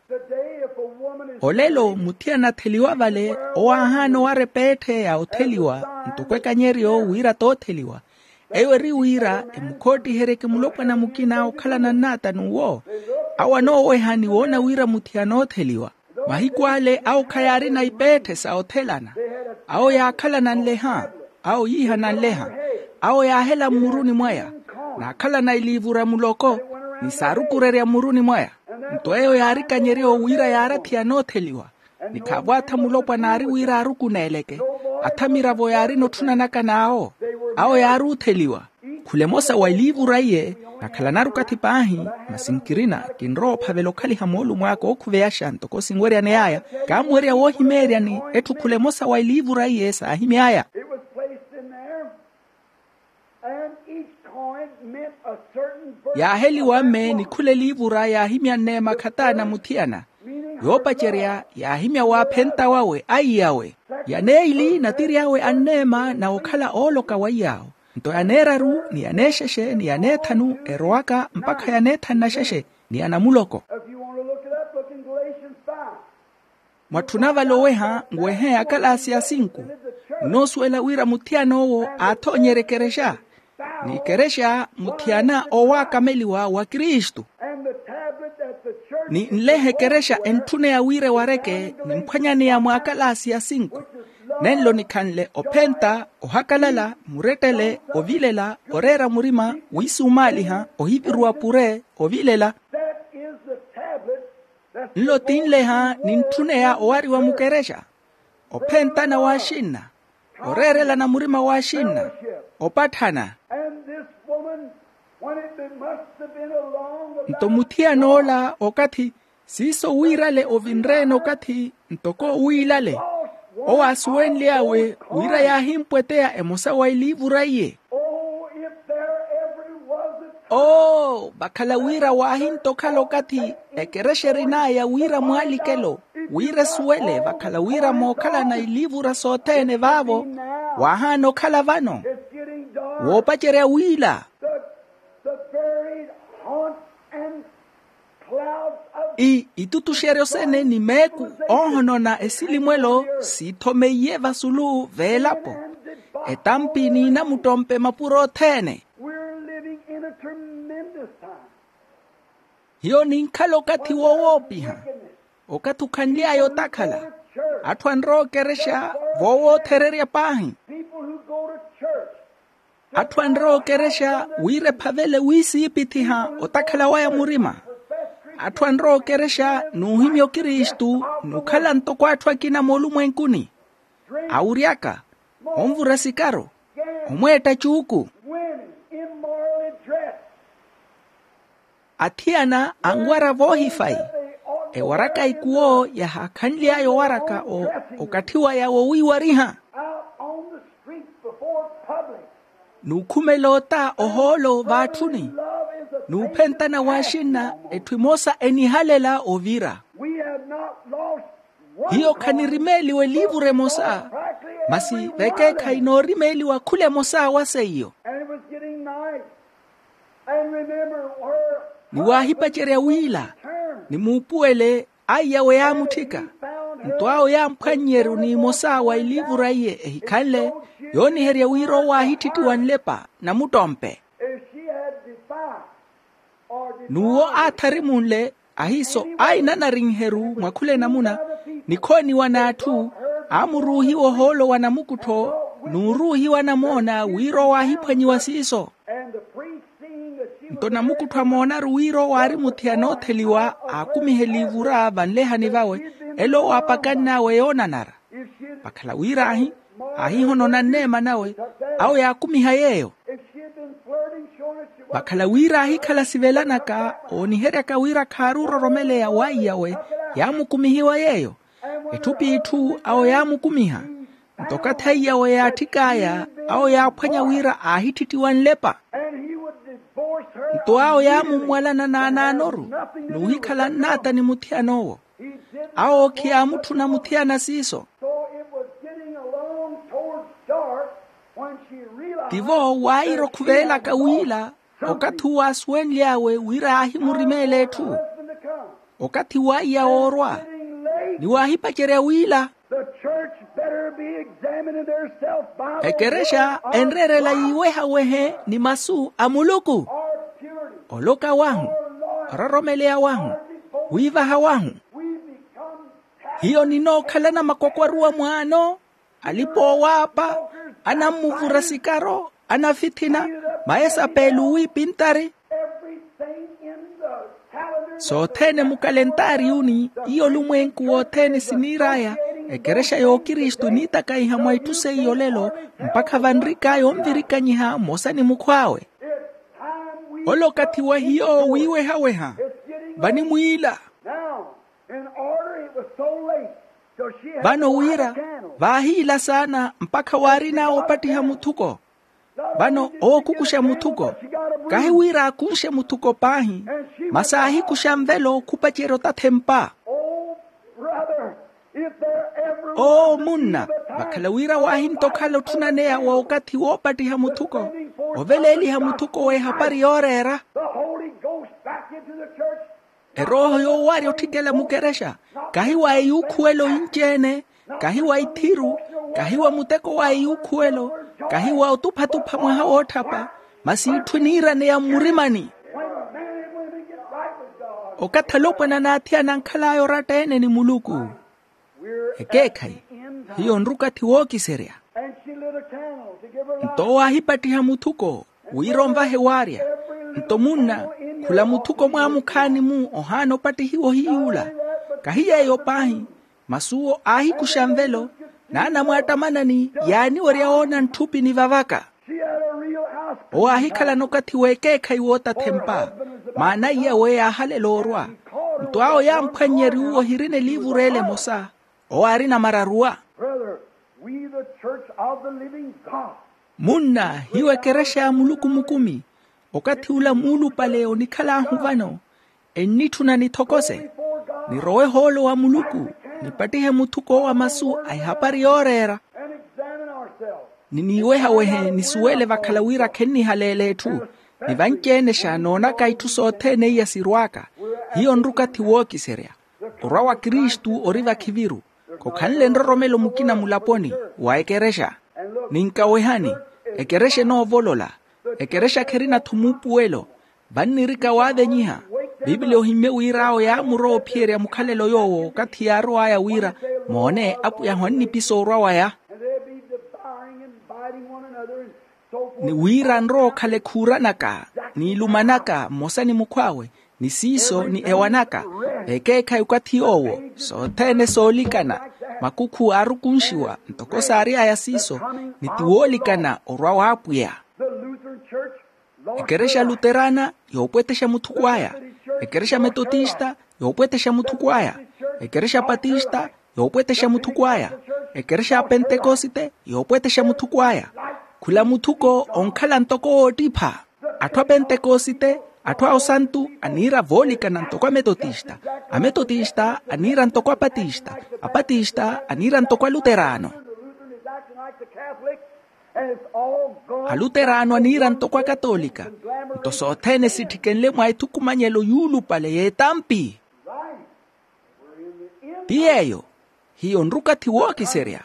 Olelo muthiyana atheliwa vale, owo aahaana owara epeetthe ya otheliwa ntoko ekanyeryo wira tootheliwa. Eyo eri wira emukhootiheryeke mulopwana mukina okhalana nnaata n'uwo. Awo anooweha ni woona wira muthiyana ootheliwa. Mahiku ale awo khayaarina ipeetthe sa othelana. Awo yaakhalana nleha. Awo yiihana nleha. Awo yaahela mmuruni mwaya, naakhalana iliivura muloko, ni saarukurerya mmuruni mwaya. Nto eyo yaarikanyerya owo wira yaari athiyana ootheliwa. Ni khaavo atha mulopwana aari wira aarukuneeleke. Atha miravo yaarina otthunanaka n'awo. Awo yaari otheliwa. Khula emosa wa iliivura iye, nakhalanaru okathi paahi, masi nkirina kinrowa ophavela okhaliha moolumo aka ookhuveyaxa ntoko sinweryaney'aya. Kaamuwerya woohimeeryani etthu khula emosa wa iliivura iye saahimy'aya. It was placed in there, and each coin meant a certain virtue. Yaaheliwa mme ni khula eliivura yaahimya nneema khatana muthiyana. Yoopacerya yaahimya waaphenta wawe aiyawe. Yaneeyili natiryawe anneema na okhala ooloka wa iyaawo. Nto yaneeraru ni yaneexexe ni yaneethanu erowaka mpakha yaneethanu na xexe ni anamuloko. If you want to look it up, look in Galatians five. Mwatthuna vale oweha, nwehe akalaasi ya sinku. Munoosuwela wira muthiyana owo aathoonyerya ekerexa, ni ekerexa muthiyana owaakameliwa wa kristu. And the tablet that the church. Ni nleha ekerexa entthuneya wira ewareke nimphwanyaneya mwaakalaasi ya sinku. Nenlo nikhanle ophenta, ohakalala, murettele, ovilela, oreera murima, wiisumaaliha, ohiviruwa pure, ovilela. That is the tablet that's. Nlo tinleha nintthuneya owariwa mukerexa. Ophentana w'axinna. Oreerelana murima w'axinna. Opatthana. And this woman, when it must have been along about nto muthiyan'ola okathi siiso wiirale ovinreene okathi ntoko wiilale. Owo aasuwenly'awe wira yaahimpweteya emosa wa eliivura iye. Oh, if there ever was a oo vakhala wira waahintokhala okathi ekerexa erin'aya wira mwaalikelo wira esuwele vakhala wira mookhalana iliivura sothene vaavo. Waahaana okhala vano. Woopacerya wiila. The, the varied haunts and clouds of i itutuxeryo sene ni meeku oohonona esilimwelo siitthomeyiye vasulu veelapo etampi n'inamuttompe mapuro othene. We're living in a tremendous time. Hiyo ninkhala okathi wowoopiha. Okathi okhanly'aya otakhala atthu anrowa okerexa voowoothererya paahi. People who go to church atthu anrowa okerexa wira ephavele wiisiipithiha otakhala waya murima. Atthu anrowa okerexa n'uhimya okristu n'ukhala ntoko atthu akina moolumwenkuni. Awuryaka onvura sikaro omweetta cuuku. Women immorally dressed. Athiyana anwara voohifayi. Ewaraka ikuwo yahaakhanly'aya owaraka okathi waya wowiiwariha. Out on the streets before public. N'ukhumela ota ohoolo vaatthuni n'uphentana w'axinna etthu emosa enihalela ovira. We have not lost one hiyo khanirimeeliwa eliivura emosa. Masi vekeekhayi noorimeeliwa khula emosa wa seiyo. And it was getting night. And remember where ni waahipacerya wiila ni muupuwele aiyawe yaamutthika. Nto awo yaamphwannyeru n'imosa wa eliivura iye ehikhanle yooniherya wira owo aahittittiwa nlepa namuttompe. If she had defied or n'uwo defied aatharimunle ahiiso ainanarinheru mwa khula enamuna nikhooniwa n'atthu aamuruuhiwa ohoolo wa namukuttho n'uruuhiwa namoona wira owo aahiphwanyiwa siiso. And the priest seeing that she was nto namukuttho amoonaru wira owo aari muthiyana ootheliwa aakumiha eliivura vanlehani vawe elo owo aapakann'awe yoonanara. Vakhala wira ahi aahihonona nneema nawe awo yaakumiha yeeyo. Vakhala wira aahikhala sivelanaka ooniheryaka wira khaaruuroromeleya waiyawe yaamukumihiwa yeeyo. Etthu p'itthu awo yaamukumiha. Nto okathi aiyawe yaatthik'aya awo yaaphwanya wira aahittittiwa nlepa. Nto awo yaamummwalana naanaanoru n'uhikhala nnaata ni muthiyan'owo. Awo khiyaamutthuna muthiyana siiso. Tivo waayira okhuvelaka wiila okathi uwo aasuwenly'awe wira aahimurimeela etthu. Okathi waiya woorwa ni waahipacerya wiila. Ekerexa enreerela yiiwehawehe ni masu a muluku. Oloka wahu ororomeleya wahu wiivaha wahu. Hiyo ninookhalana makwakwaruwa mwaano alipa-oowaapa anammuvura sikaro anafithina maesapeli owiipintari. Sothene mukalentariyuni iyo olumwenku wothene siniir'aya ekerexa y'okristu eniitakaiha mwa itthu seiyo olelo mpakha vanrik'aya onvirikanyiha mmosa ni mukhw'awe. Ole okathi wa hiyo wiiwehaweha vanimwiila. Vano wira vaahiila saana mpakha waarin'awe opattiha muthuko. Vano ookukuxa muthuko kahi wira akunxe muthuko paahi masi aahikuxa nvelo khupacerya otathempa. Oo munna vakhala wira waahintokhala otthunaneya wa okathi woopattiha muthuko oveleeliha muthuko w'ehapari yooreera. Erooho yoowarya otthikela mukerexa kahi wa eyuukhuwela oyinci-ene kahi wa ithiru kahi wa muteko wa eyuukhuwelo kahi wa otupha-tupha mwaha wootthapa masi itthu eniiraneya mmurimani. Okathi alopwana n'athiyana ankhal'aya oratta-ene ni muluku ekeekhayi hiyo onrukathi wookiserya. Nto owo aahipattiha muthuko wira onvahe waarya. Nto munna khula muthuko mwaamukhaani-mu ohaana opattihiwa ohiyuula kahi yeeyo paahi. Masi owo aahikuxa nvelo Naana mwaattamanani yaaniwerya woona ntthupi nivavaka. Owo aahikhalana okathi w'ekeekhayi wootathempa. Maana iyawe yaahalela orwa. Nto awo yaamphwannyerya uwo ohirina eliivuru ele emosa. Owo aarina mararuwa. Munna, hiyo ekerexa ya muluku mukumi. Okathi ula muulupale onikhal'ahu vano, ennitthuna nithokose, nirowe hoolo wa muluku, nipattihe muthuko wa masu a ehapari yooreera. Niniiwehawehe nisuwele vakhala wira khennihaleela etthu. Ni vanci-enexa noonaka itthu sothene iya sirw'aka. Hiyo nri okathi wookiserya. Orwa wa kristu ori vakhiviru. Khokhanle nroromelo mukina mulaponi wa ekerexa. Ninkawehani, ekerexa enoovolola. Ekerexa kherina-tho muupuwelo. Vannirika waavenyiha. Piipili ohimmye wira awo yaamurowa ophiyerya mukhalelo yoowo okathi yaarow'aya wira, moone apwiyahu annipisa orwa waya. Ni wira nrowa okhala ekhuuranaka n'ilumanaka mmosa ni mukhw'awe, ni siiso ni ewanaka. Ekeekhayi okathi yoowo, sothene soolikana. Makukhu aarukunxiwa ntoko saary'aya siiso, ni ti woolikana orwa w'apwiya. Ekerexa luterana, yoopwetexa muthuko aya. Ekerexa metotista, yoopwetexa muthuko aya. Ekerexa patista, yoopwetexa muthuko aya. Ekerexa ya pentekosite, yoopwetexa muthuko aya. Khula muthuko onkhala ntoko woottipha. Atthu a pentekosite, atthu a osantu aniira voolikana ntoko a metotista. A metotista aniira ntoko a patista. A patista aniira ntoko a luterano. A luterano aniira ntoko akatolika. Nto sothene sitthikenle mwa ethukumanyelo yuulupale y'etampi. Ti yeeyo. Hiyo nrukathi wookiserya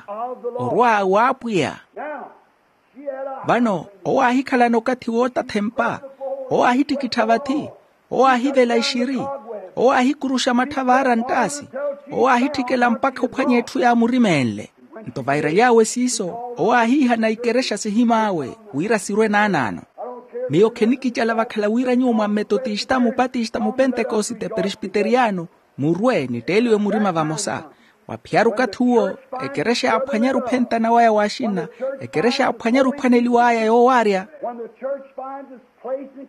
orwa w'apwiya. Vano owo aahikhalana okathi wootathempa. Owo aahittikittha vathi. Owo aahivela ixiri. Owo aahikuruxa matthavaara nttaasi. Owo aahitthikela mpakha ophwanya etthu yaamurimenle. Nto vairaly'awe siiso, owo aahiihana ikerexa sihim'awe wira sirwe naanaano. Miyo khenikicala vakhala wira nyuwo mwa mmetotista mupatista mupentekosite perispiteriano, murwe nitteeliwe murima vamosa. Waphiyaru okathi uwo, ekerexa yaaphwanyaru ophentana waya w'axinna. Ekerexa yaaphwanyaru ophwaneliw'aya yoowaarya.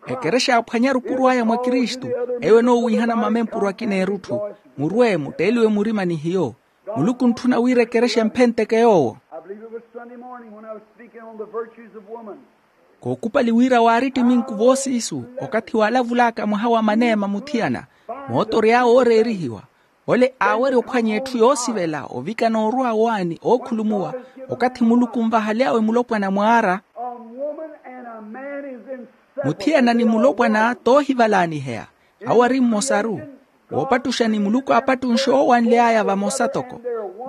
Ekerexa yaaphwanyaru opuro aya mwa kristu, eyo enoowiihana mamempuro akina erutthu. Murwe mutteeliwe murima ni hiyo. Muluku ontthuna wira ekerexa emphenteke yoowo. I believe it was Sunday morning when I was speaking on the virtues of woman. Kookupali wira waari ttiminku voosiisu okathi waalavul'aka mwaha wa maneema muthiyana, mootory'awe ooreerihiwa. Ole aawerya ophwanya etthu yoosivela ovikana orwa waani ookhulumuwa. Okathi muluku onvahaly'awe mulopwana mwaara. Muthiyana ni mulopwana toohivalaaniheya. Awo ari mmosaru. Woopattuxa ni muluku aapattunxe oowanly'aya vamosa toko.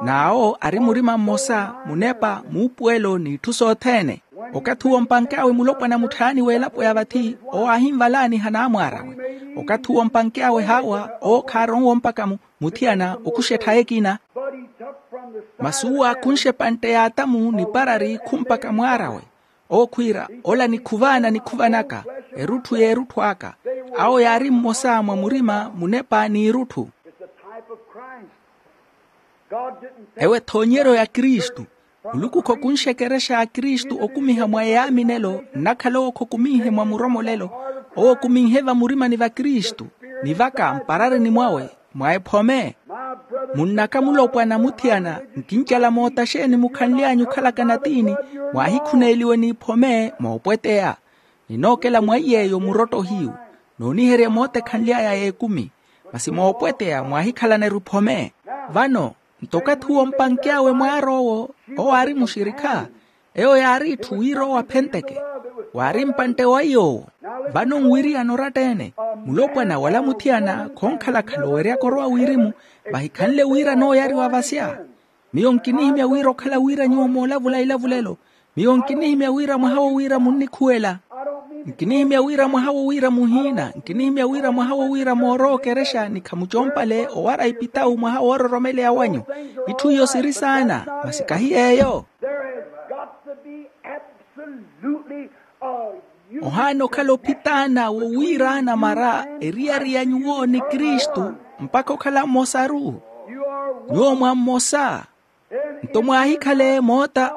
N'awo ari murima mmosa, munepa, muupuwelo n'itthu sothene. Okathi uwo mpank'awe mulopwana mutthaani w'elapo ya vathi, owo aahinvalaaniha n'amwaar'awe. Okathi uwo mpank'awe haawa, owo khaaronwa mpakha muthiyana okuxa etthaya ekina. Masi uwo aakunxe epantte y'atamu ni parari khumpakha mwaar'awe. Owo khwiira, ola nikhuvaana nikhuvanaka, erutthu y'erutthu aka. Awo yaari mmosa mwa murima, munepa n'irutthu. Ewo ethoonyeryo ya kristu. Muluku khokunxe ekerexa ya kristu okumiha mwa eyaaminelo nnakhala owo khokuminhe mwa muromolelo. Owo okuminhe vamurimani va kristu, ni vaka mpararini mwawe, mwa ephome. Munnaka mulopwana muthiyana, nkincala moota xeeni mukhanly'anyu okhalaka natiini, mwaahikhuneeliwe n'iphome moopweteya. Ninookela mwa iy'eyo murotto hiyu, nooniherya moota ekhanly'aya y'ekumi. Masi moopweteya mwaahikhalana eruphome. Vano nto okathi uwo mpank'awe mwaar'owo, owo aari muxirikha. Eyo yaari itthu wira owo aphenteke. Waari mpantte wa iy'owo. Vano nwiriyana oratta-ene, mulopwana wala muthiyana khonkhalakhala oweryaka orowa wirimu. Vahikhanle wira anooyariwa vasya. Miyo nkinihimya wira okhala wira nyuwo moolavula ilavulelo. Miyo nkinihimya wira mwaha wo wira munnikhuwela. Nkinihimya wira mwaha wo wira muhiina. Nkinihimya wira mwaha wo wira moorowa okerexa ni khamucompale owara ipitawu mwaha woororomeleya wanyu. Itthu iyo siri saana, masi kahi yeeyo. There has got to be absolutely a union. Ohaana okhala ophitaana wo wiiraana mara eriyari ya nyuwo ni kristu, mpakha okhala mmosaru. Nyuwo mwa mmosa. Nto mwaahikhale moota.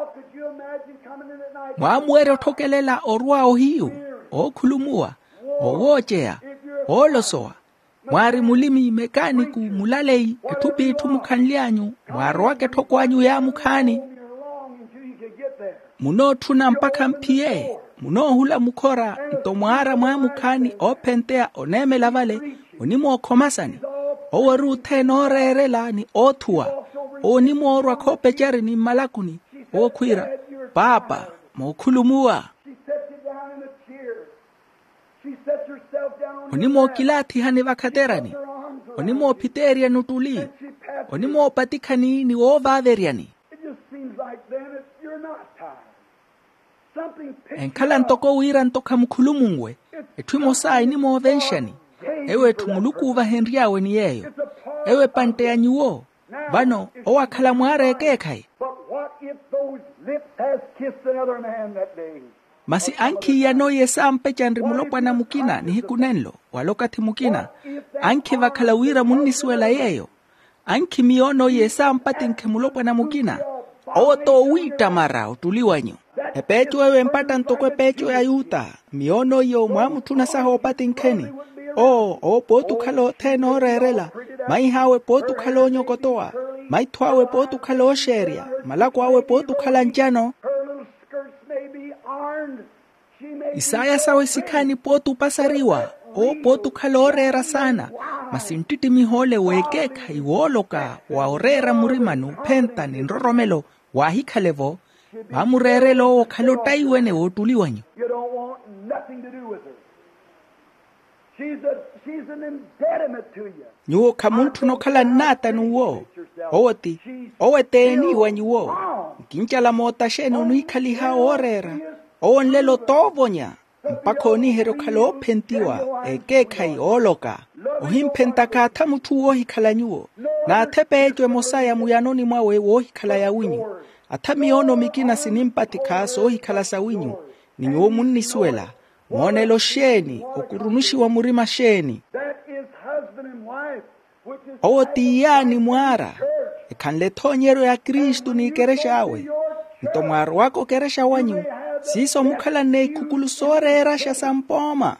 Mwaamuwerya otthokelela orwa ohiyu, ookhulumuwa, owooceya, oolosowa. Mwaari mulimi, mekaaniku, mulaleyi, etthu p'itthu mukhanly'anyu, mwaarowaka etthoko anyu yaamukhaani. Munootthuna mpakha mphiye. Munoohula mukhora. Nto mwaara mwaamukhaani oophenteya oneemela vale, onimookhomasani. Owo ori othene ooreerela ni oothuwa. Owo onimoorwa khoopecari ni mmalakuni. Owo khwiira, paapa, mookhulumuwa. Onimookilaathihani vakhaterani. Onimoophiteeryani ottuli. Onimoopatikhani ni woovaaveryani. Enkhala ntoko wira nto khamukhulumunwe. Etthu emosa enimoovenxani. Eyo etthu muluku oovahenry'awe ni yeeyo. Eyo epantte ya nyuwo. Vano owo akhala mwaara ekeekhayi. But what if those lips has kissed another man that day? Masi ankhi iyano iye saampecanri mulopwana mukina nihiku nenlo, wala okathi mukina. Ankhi vakhala wira munnisuwela yeeyo. Ankhi miyoono iye saampatinkhe mulopwana mukina. Owo t'owiittamara ottuli wanyu. Epeeco eyo empatta ntoko epeeco ya yuta. Miyoono iyo mwaamutthuna saha oopatinkheni. Oo owo pooti okhala othene ooreerela. Maih'awe pooti okhala oonyokotowa. Maitho awe pooti okhala ooxeerya. Malako awe pooti okhala ncano. Isaaya sawe sikhaani pooti opasariwa. Owo pooti okhala ooreera saana. Masi nttittimiho ole w'ekeekhayi wooloka wa oreera murima n'uphenta ni nroromelo. Waahikhale-vo. Vaamureerela owo okhala ottaiwene w'ottuli wanyu. You don't want nothing to do with her. She's a, she's an impediment to you. Nyuwo khamuntthuna okhala nnaata n'uwo. Owo ti, owo eteeni wa nyuwo. Nkincala moota xeeni oniikhaliha wooreera. Owo nlelo t'ovonya. Mpakha ooniiherya okhala oophentiwa, ekeekhayi ooloka. Ohimphentaka atha mutthu woohikhala nyuwo. N'atha epeeco emosa ya muyanoni mwawe woohikhala yawinyu. Atha miyoono mikina sinimpatikha soohikhala sawinyu. Ni nyuwo munnisuwela. Moonelo xeeni? Okurunuxiwa murima xeeni? Owo ti iyaani mwaara. Ekhanle ethoonyeryo ya kristu n'ikerexa awe. Nto mwaarowaka okerexa wanyu, siiso mukhalanne ikhukulu sooreeraxa sa mpooma.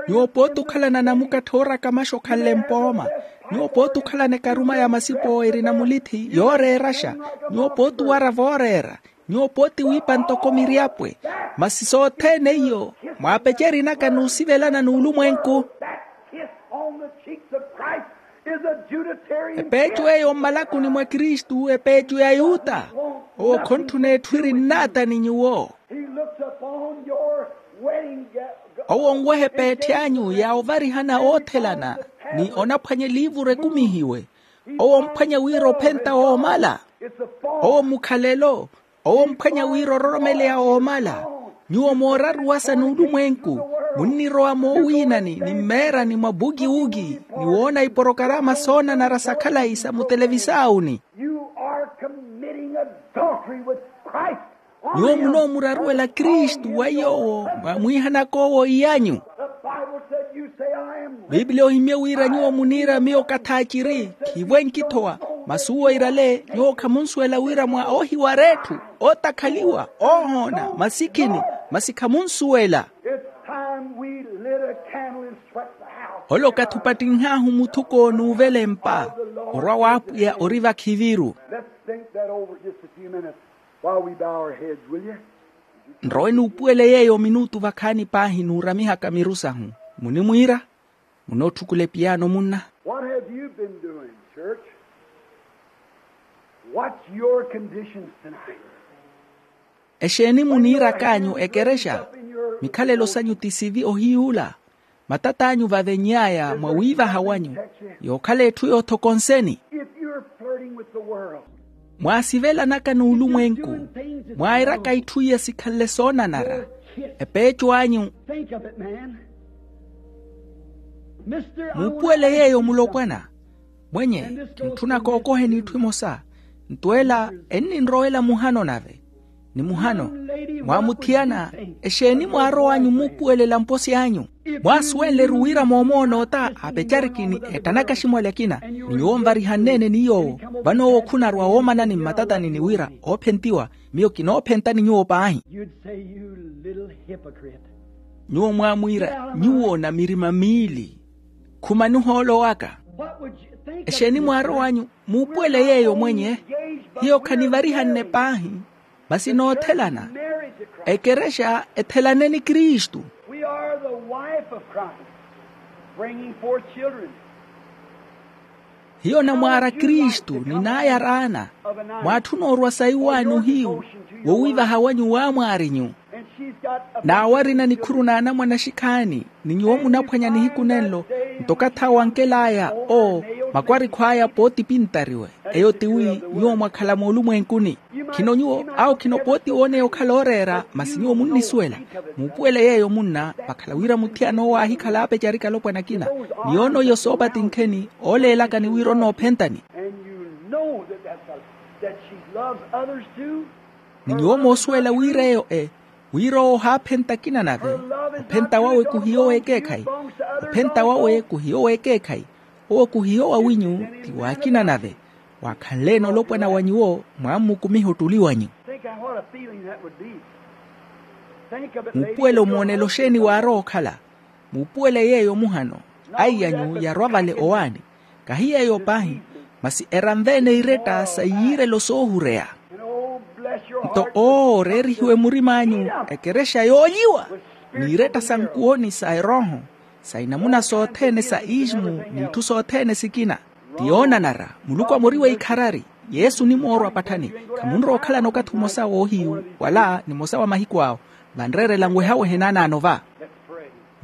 Nyuwo pooti okhalana namukattha oorakamaxa okhanle mpooma. Nyuwo pooti okhalana ekaruma ya masipo erina mulithi yooreeraxa. Nyuwo pooti owara vooreera. Nyuwo pooti wiipa ntoko miryapwe. Masi sothene iyo mwaapecerinaka n'usivelana n'ulumwenku. Epeeco eyo mmalakuni mwa kristu epeeco ya yuta. Owo khontthuneetthwiri nnaata ni nyuwo. Owo onweha epeetthi anyu ya ovarihana oothelana, ni onaphwanya eliivuru ekumihiwe. Owo omphwanya wira ophenta woomala. Owo mukhalelo. Owo omphwanya wira ororomeleya woomala. Nyuwo mooraruwasa n'ulumwenku, munnirowa moowiinani ni mmeerani mwa bukiwuki, ni woona iporokarama soonanara sa khalayi sa mutelevisaawuni. Nyuwo munoomuraruwela kristu wa yoowo mwamwiihanaka owo iy'anyu. Piipiliya ohimye wira nyuwo muniira miyo kathaaciri, khiivo enkithowa. Masi uwo irale nyuwo khamunsuwela wira mwa oohiwara etthu, ootakhaliwa, oohoona, masikhini. Masi khamunsuwela. Ole okathi opattinh'ahu muthuko n'uvelempa. Orwa w'apwiya ori vakhiviru. Nrowe nuupuwele yeeyo minutu vakhaani paahi nuuramihaka miru sahu. Munimwiira? Munootthukulepiyaano munna. What have you been doing, church? What's your conditions tonight? Exeeni muniirak'anyu ekerexa? Mikhalelo sanyu ti sivi ohiyuula. Matat'anyu vavenny'aya mwa wiivaha wanyu. Yookhala etthu yoothokonseni. If you're flirting with the world, mwaasivelanaka n'ulumwenku, mwairaka itthu iya sikhanle soonanara. Epeeco anyu. Think of it, man. Muupuwele yeeyo mulopwana. Mwenye, kintthuna kookoheni itthu imosa. Nto ela enninrowela muhano nave. Ni muhano, mwaamuthiyana. Exeeni mwaarow'anyu muupuwelela mposi anyu? Mwaasuwenle-ru wira moomoona ota aapecarikini ettanaka aximwali akina, ni nyuwo nvarihanneene ni yoowo, vano owo khunarwa woomanani mmatatani ni wira oophentiwa. Miyo kinoophentani nyuwo paahi. Nyuwo mwaamwiira nyuwo na mirima miili, khumani ohoolo waka. Exeeni mwaarow'anyu muupuwele yeeyo mwenye. Hiyo khanivarihanne paahi, masi noothelana. Ekerexa ethelane ni kristu. Hiyo namwaara kristu ni naayaraana. Mwaatthuna orwa saiwaani ohiyu wowiivaha wanyu waamwaarinyu. N'awarina nikhuru n'anamwane axikhaani, ni nyuwo munaphwanya nihiku nenlo. Nto okathi awo ankel'aya oo, makwarikhu aya pooti pintariwe. Eyo tiwi nyuwo mwakhala moolumwenkuni. Khino nyuwo awo khino pooti wooneya okhala ooreera, masi nyuwo munnisuwela. Muupuwele yeeyo munna vakhala wira muthiyan'owo aahikhala aapecarika alopwana akina. Ni yoono iyo soopatinkheni ooleelakani wira onoophentani. Ni nyuwo moosuwela wira eyo e wira owo ohaaphenta akina nave. Ophenta wawe kuhiyo w'ekeekhayi. Ophenta wawe kuhiyo w'ekeekhayi. Owo kuhiyo wawinyu ti w'akina nave. Waakhanle-ene olopwana wa nyuwo mwaammukumiha ottuli wanyu. Muupuwele omoonelo xeeni waarowa okhala. Muupuwele yeeyo muhano. Aiy'anyu yarwa vale owaani. Kahi yeeyo paahi, masi eranve-ene iretta sa iyiirelo soohureya. Nto oo oreerihiwe murim'anyu ekerexa yoolyiwa, n'iretta sa nkuwoni sa erooho, sa inamuna sothene sa ismu, n'itthu sothene sikina. Ti yoonanara muluku amoriwe ikharari. Yesu onimoorwa patthani. Khamunrowa okhalana okathi omosa woohiyu wala nimosa wa mahiku awo. Vanreerela nwehawehe naanaano va.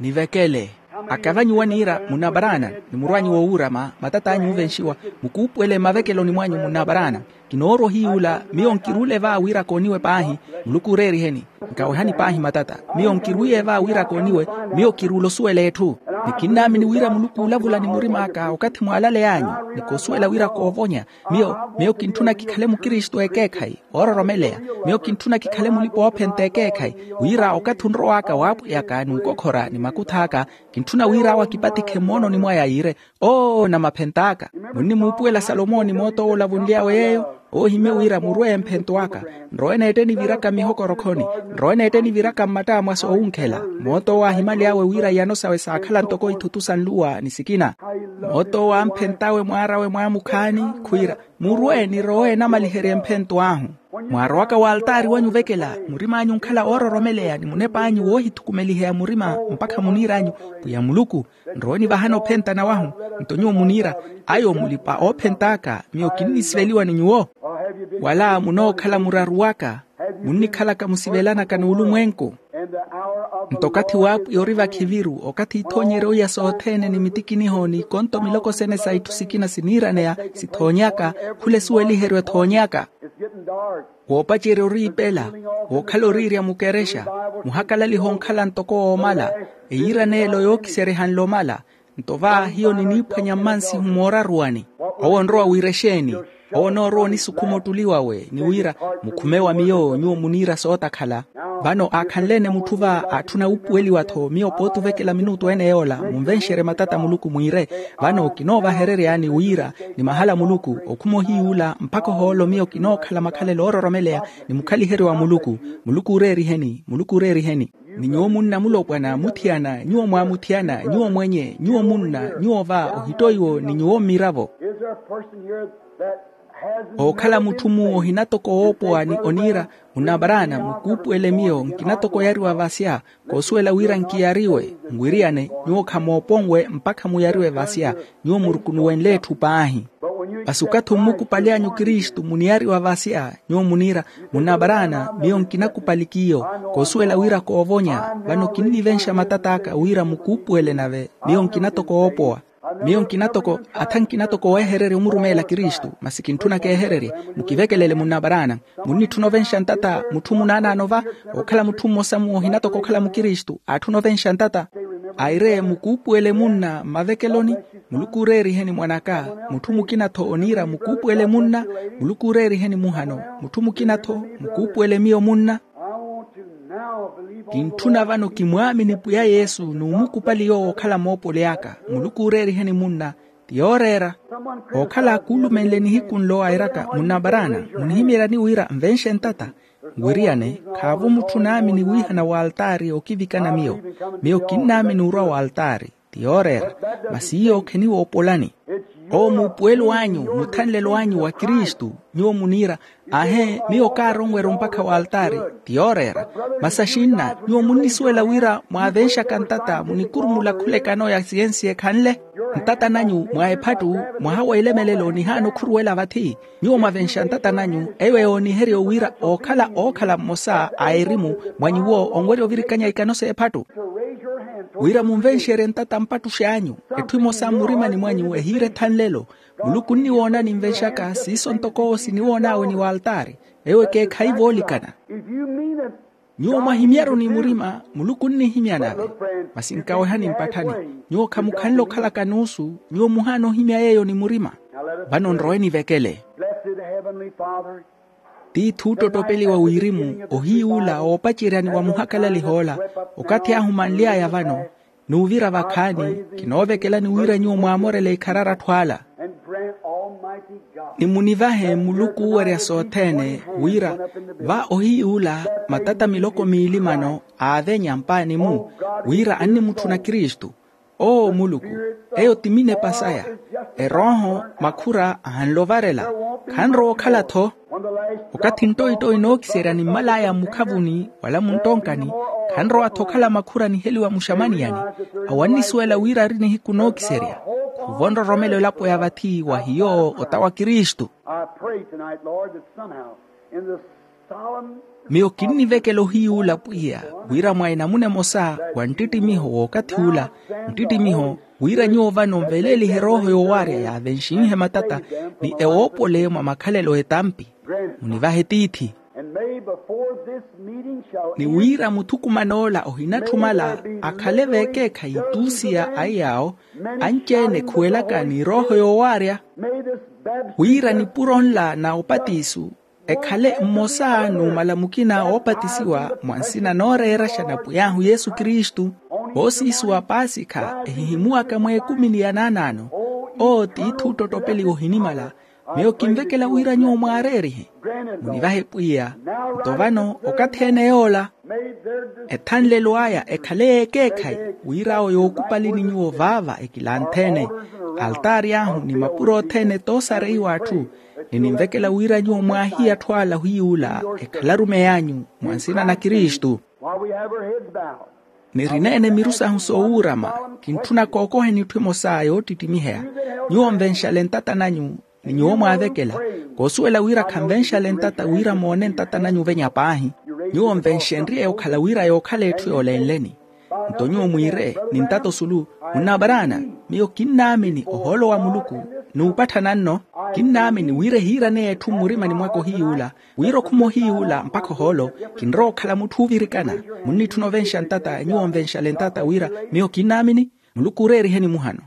Nivekele. Akavanyu waniira munna aparaana, ni murwaanyu woowuurama matat'anyu oovenxiwa. Mukuupuwele mmavekeloni mwanyu munna aparaana. Kinoorwa ohiyuula miyo nkiruule va wira kooniwe paahi. Muluku ooreeriheni. Nkawehani paahi matata. Miyo nkirwiiye va wira kooniwe. Miyo kiruule osuwela etthu. Ni kinnaamini wira muluku oolavula ni murim'aka okathi mwaalaley'anyu. Ni koosuwela wira koovonya. Miyo miyo kintthuna kikhale mukristu ekeekhayi oororomeleya. Miyo kintthuna kikhale mulipa-oophenta ekeekhayi, wira okathi onrow'aka waapwiyaka ni nkokhora ni makuth'aka. Kintthuna wira awo akipatikhe mmoononi mwaya yiire, oo namaphent'aka. Munnimuupuwela salomoni moot'owo olavunly'awe yeeyo. Oohimye wira murweye mphento aka. Nrowe neette niviraka mmihokorokho-ni. Nrowe neette niviraka mmatta mwa soowunkhela. Moot'owo aahimaly'awe wira iyano sawe saakhala ntoko ithutu sa nluwa ni sikina. Moot'owo amphent'awe mwaar'awe mwaamukhaani, khwiira murwe nirowe namaliherye mphento ahu. Mwaarowaka w'altaari wanyu ovekela, murim'anyu onkhala woororomeleya ni munep'anyu woohithukumeliheya murima. Mpakha muniir'anyu, pwiya muluku, nrowe nivahani ophentana wahu. Nto nyuwo muniira, ayo mulipa-oophent'aka, miyo kinnisiveliwa ni nyuwo. Wala munookhala muraru waka? Munnikhalaka musivelanaka n'ulumwenku. Nto okathi w'apwiya ori vakhiviru, okathi ithoonyerye owiya sothene ni mitikiniho n'ikonto miloko sene sa itthu sikina siniiraneya sithoonyaka. Khula esuweliheryo ethoonyaka. Woopacerya oriipela, wookhala oriirya mukerexa, muhakalaliha onkhala ntoko woomala. Eyiiraneelo yookiseryehanle omala. Nto va hiyo niniiphwanya mmansihu mooraruwani. Owo onrowa wira exeeni? Owo onoorowa onisukhuma ottuli wawe ni wira, mukhume wa miyo nyuwo muniira sootakhala. Vano aakhanle-ene mutthu va aatthuna wuupuweliwa-tho miyo pooti ovekela minutu ene yoola munvenxerye matata a muluku mwiire. Vano kinoovahereryaani wira ni mahala a muluku okhuma ohiyuula mpakha ohoolo miyo kinookhala makhalelo oororomeleya ni mukhaliheryo wa muluku. Muluku ooreeriheni, muluku ooreeriheni. Ni nyuwo munna mulopwana muthiyana nyuwo mwaamuthiyana nyuwo mwenye nyuwo munna nyuwo va ohittoiwo ni nyuwo mmiravo. Ookhala mutthu-mu ohina toko woopowa ni oniira, munna aparaana mukuupuwele miyo nkina toko oyariwa vasya. Koosuwela wira nkiyariwe nwiriyane nyuwo khamooponwe mpakha muyariwe vasya. Nyuwo murukunuwenle etthu paahi. Masi okathi ommukupaly'anyu kristu muniyariwa vasya nyuwo muniira, munna aparaana miyo nkinakupali k'iyo. Koosuwela wira koovonya. Vano kinnivenxa matat'aka wira mukuupuwele nave miyo nkina toko woopowa. Miyo nkina toko atha nkina toko weehererya omurumeela kristu masi kintthuna keehererye. Mukivekelele munna aparaana. Munnitthuna ovenxa ntata mutthu munaanaano va? Okhala mutthu mmosa-mu ohina toko okhala mukristu aatthuna ovenxa ntata. Aire mukuupuwele munna mmavekeloni. Muluku ooreeriheni mwan'aka. Mutthu mukina-tho oniira mukuupuwele munna. Muluku ooreeriheni muhano. Mutthu mukina-tho mukuupuwele miyo munna. Kintthuna vano kimwaamini pwiya yesu n'umukupali yoowo okhala moopoli aka. Muluku ooreeriheni munna. Ti yooreera. Ookhala akuulumenle nihiku nlo airaka munna abarana, munihimeeryani wira nvenxe ntata? Nwiriyane. Khaavo mutthu naamini wiihana w'altaari okivikana miyo. Miyo kinnaamini orwa w'altaari. Ti yooreera. Masi iyo kheniwoopolani. Owo muupuwelo anyu, muthanlelo anyu wa kristu. Nyuwo muniira, aahe miyo kaaronwerya ompakha w'altaari. Ti yooreera. Masi axinna nyuwo munnisuwela wira mwaavenxaka ntata munikurumula khula ekano ya siyensi ekhanle. Ntata nanyu mwa ephattu, mwaha w'elemelelo nihaana okhuruwela vathi. Nyuwo mwavenxa ntata nanyu eyo yooniherya wira ookhala ookhala mmosa a erimu mwa nyuwo onwerya ovirikanya ikano s'ephattu. Wira munvenxerye ntata mpattuxi anyu, etthu emosa mmurimani mwanyu ehiira ethanlelo. Muluku onniwoonani nvenxaka siiso ntoko siniwoon'awe ni w'altaari. Eyo ekeekhayi voolikana. Nyuwo mwahimyaru ni murima, muluku onnihimya nave. Masi nkawehani mpatthani. Nyuwo khamukhanle okhalaka nuusu. Nyuwo muhaana ohimya yeeyo ni murima. Vano nrowe nivekele. Tiithi ottottopeliwa wirimu ohiyuula oopaceryani wa muhakalaliha ola. Okathi ahu manly'aya vano, n'uvira vakhaani, kinoovekelani wira nyuwo mwaamorele ikharari atthu ala. Ni munivahe muluku oowerya sothene wira va ohiyuula matata miloko miili mano aavenya mpaani-mu, wira annimutthuna kristu. Owo muluku, eyo ti minepa saya. Erooho makhura ahanle ovarela. Khanrowa okhala-tho. Okathi nttoitto inookiserya nimmal'aya mmukhavuni wala munttonkani, khanrowa-tho okhala makhura niheliwa muxamaniyani. Awo annisuwela wira ari nihiku nookiserya. Khuvo nroromela elapo ya vathi wa hiyo ota wa kristu. Miyo kinnivekela ohiyuula pwiya, wira mwa enamuna emosa wa nttittimiho w'okathi ula, nttittimiho wira nyuwo vano nveleelihe erooho yoowaarya yaavenxinhe matata ni ewoopole mwa makhalelo etampi. Munivahe tiithi. Ni wira muthukuman'ola ohinatthumala akhale veekeekhayi tuusiya a iyaawo, anci-ene ekhuwelaka ni erooho yoowaarya. Wira nipuro nla na opatiso ekhale mmosa n'umala mukina oopatisiwa mwa nsina nooreeraxa na pwiy'ahu yesu kristu. Voosiisuwa paasikha ehihimuwaka mweekumi ni ya naanaano. Owo tiithi ottottopeliwa ohinimala. Miyo kinvekela wira nyuwo mwaareerihe. Munivahe pwiya. Nto vano okathi ene yoola ethanlelo aya ekhale yeekeekhayi, wira awo yookupalini nyuwo vaava ekilanthene altaari ahu ni mapuro othene toosareiwa atthu. Ni ninvekela wira nyuwo mwaahiya atthu ala ohiyuula ekhale arumeyi anyu mwa nsina na kristu. Nirineene miru sahu soowuurama. Kintthuna kookoheni etthu emosa yoottittimiheya. Nyuwo nvenxale ntata nanyu ni nyuwo mwaavekela. Koosuwela wira khanvenxale ntata wira moone ntata nanyu ovenya paahi. Nyuwo nvenxenrye okhala wira yookhala etthu yoolenleni. Nto nyuwo mwiire ni ntata osulu, munnabaraana, miyo kinnaamini ohoolo wa muluku n'upatthananno. Kinnaamini wira ehiiraneya etthu mmurimani mwaka ohiyuula, wira okhuma ohiyuula mpakha ohoolo. Kinrowa okhala mutthu oovirikana. Munnitthuna ovenxa ntata nyuwo nvenxale ntata wira miyo kinnaamini. Muluku ooreeriheni muhano.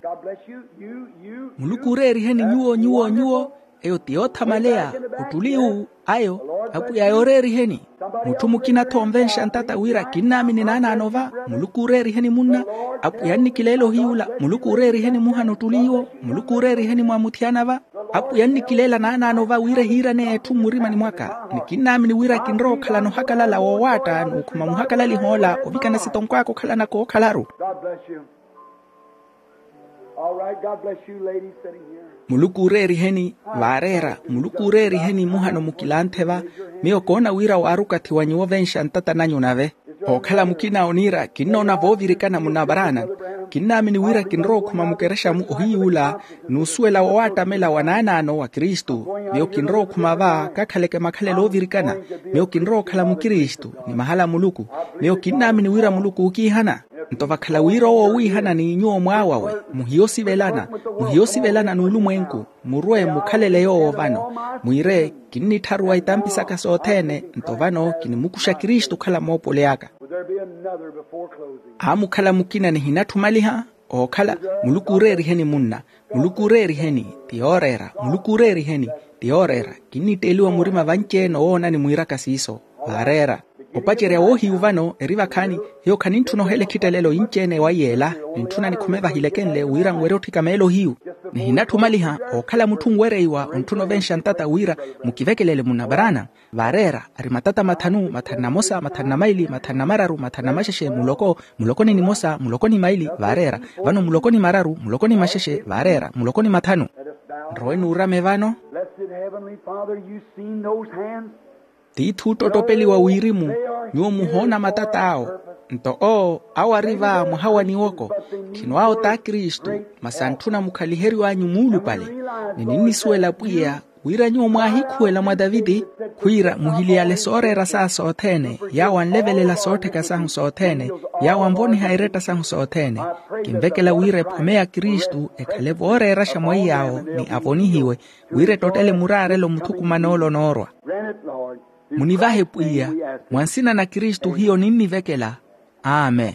Muluku ooreeriheni nyuwo nyuwo nyuwo. Eyo ti yoothamaleya ottuli uwu. Ayo apwiya yooreeriheni. Mutthu mukina-tho onvenxa ntata wira kinnaamini naanaano va. Muluku ooreeriheni munna. Apwiya annikileela ohiyuula. Muluku ooreeriheni muhano ottuli iwo. Muluku ooreeriheni mwamuthiyana va. Apwiya annikileela naanaano va wira ehiiraneya etthu mmurimani mwaka. Ni kinnaamini wira kinrowa okhalana ohakalala woowaatta n'ukhuma muhakalaliha ola ovikana sitonko aka okhalana kookhalaru. Muluku ooreeriheni. Vaareera. Muluku ooreeriheni muhano mukilanthe va. Miyo koona wira waari okathi wa nyuwo ovenxa ntata nanyu nave. Ookhala mukina oniira kinnoona voovirikana munavaraana. Kinnaamini wira kinrowa okhuma mukerexa-mu ohiyuula n'usuwela woowattamela wa naanaano wa kristu. Miyo kinrowa okhuma va kakhaleke makhalelo oovirikana. Miyo kinrowa okhala mukristu ni mahala a muluku. Miyo kinnaamini wira muluku ookiihana. Nto vakhala wira owo oowiihanani nyuwo mwaawawe, muhiya osivelana. Muhiya osivelana n'ulumwenku. Murwe mukhalele yoowo vano. Mwiire, kinnitharuwa itampi saka sothene nto vano kinimukuxa kristu okhala moopoli aka. Aamukhala mukina nihinatthumaliha. Ookhala. Muluku ooreeriheni munna. Muluku ooreeriheni. Ti yooreera. Muluku ooreeriheni. Ti yooreera. Kinnitteeliwa murima vanci-ene owoonani mwiiraka siiso. Vaareera. opacerya woohiyu vano eri vakhaani. Hiyo khanintthuna ohela ekhittelelo yinci-ene wa yeela. Nintthuna nikhome vahilekenle wira nwerye otthika meelo hiyu. Nihinatthumaliha ookhala mutthu onwereiwa ontthuna ovenxa ntata wira mukivekelele munabaraana. Vaareera ari matata mathanu mathanu na mosa mathanu na maili mathanu na mararu mathanu na maxexe muloko muloko ni nimosa muloko ni maili vaareera. Vano muloko ni mararu muloko ni maxexe vaareera muloko ni mathanu. Nrowe nuurame vano. Blessed Heavenly Father, you've seen those hands. Tiithi ottottopeliwa wirimu. Nyuwo muhoona matata awo nto owo awo ari va mwaha wa niwoko. Khino awo t'akristu masi antthuna mukhaliheriw'anyu muulupale. Ni ninnisuwela pwiya wira nyuwo mwaahikhuwela mwa taviti khwiira muhiliyale sooreera sahu sothene yaawo anlevelela soottheka sahu sothene yaawo anvoniha eretta sahu sothene. Kinvekela wira ephome ya kristu ekhale vooreeraxa mwaiy'awo ni avonihiwe wira ettottele muraarelo muthukuman'ole onoorwa. Munivahe pwiya mwa nsina na kristu hiyo ninnivekela. Amen.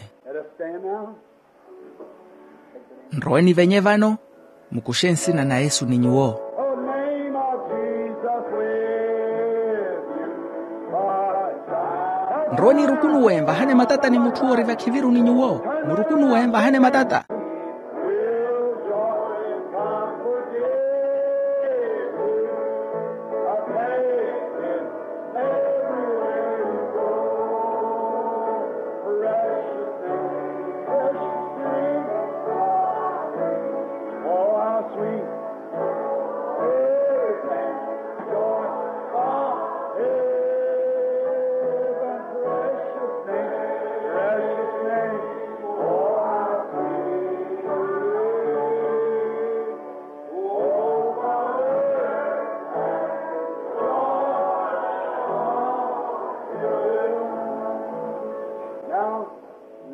Nrowe nivenye vano. Mukuxe nsina na yesu ni nyuwo. Nrowe nirukunuwe nvahane matata ni mutthu oori vakhiviru ni nyuwo. Murukunuwe nvahane matata.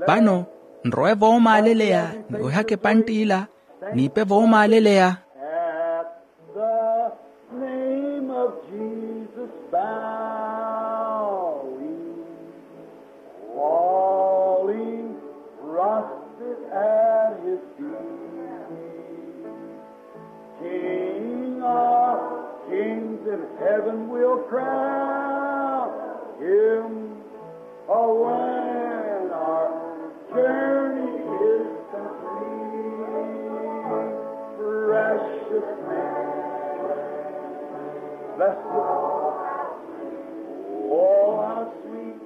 Vano nrowe voomaaleleya ni ohaka epantt'ila niipe voomaaleleya. At the name of Jesus bowing, falling, prostrate at his feet. King of kings in heaven will crown him. Oh, when our journey is complete, precious name, blessed, oh, how sweet,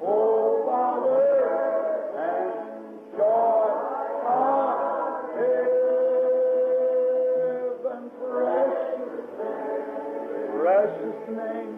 oh, Father, and joy of heaven, precious name, precious name.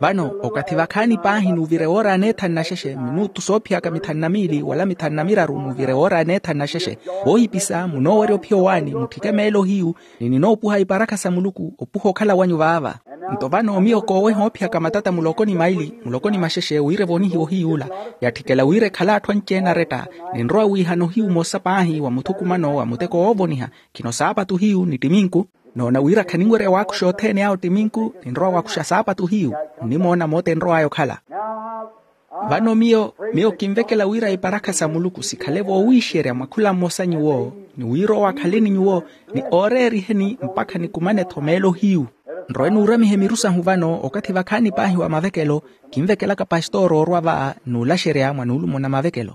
Vano okathi vakhaani paahi n'uvire woora aneethani na xexe minutu soophiyaka mithanu na miili wala mithanu na miraru n'uvire woora aneethani na xexe. Voohipisa munoowerya ophiya owaani mutthike meelo hiyu ni ninoopuha iparakha sa muluku opuha okhala wanyu vaava. Nto vano miyo kooweha oophiyaka matata muloko ni maili muloko ni maxexe wira evonihiwe ohiy'ula. Yatthikela wira ekhale atthu anci-ene aretta. Ninrowa wiihana ohiyu omosa paahi wa muthukumano wa muteko woovoniha. Khino saapatu hiyu ni ttiminku. Noona wira khaninwerya waakuxa othene awo ttiminku. Ninrowa waakuxa saapatu hiyu. Nnimoona moota enrow'aya okhala. Vano miyo miyo kinvekela wira iparakha sa muluku sikhale voowiixerya mwa khula mmosa nyuwo ni wira owo akhale ni nyuwo ni ooreeriheni mpakha nikumane-tho meelo hiyu. Nrowe nuuramihe miru sahu vano okathi vakhaani paahi wa mavekelo. Kinvekelaka pastor orwa va n'ulaxerya mwa nuulumo na mavekelo.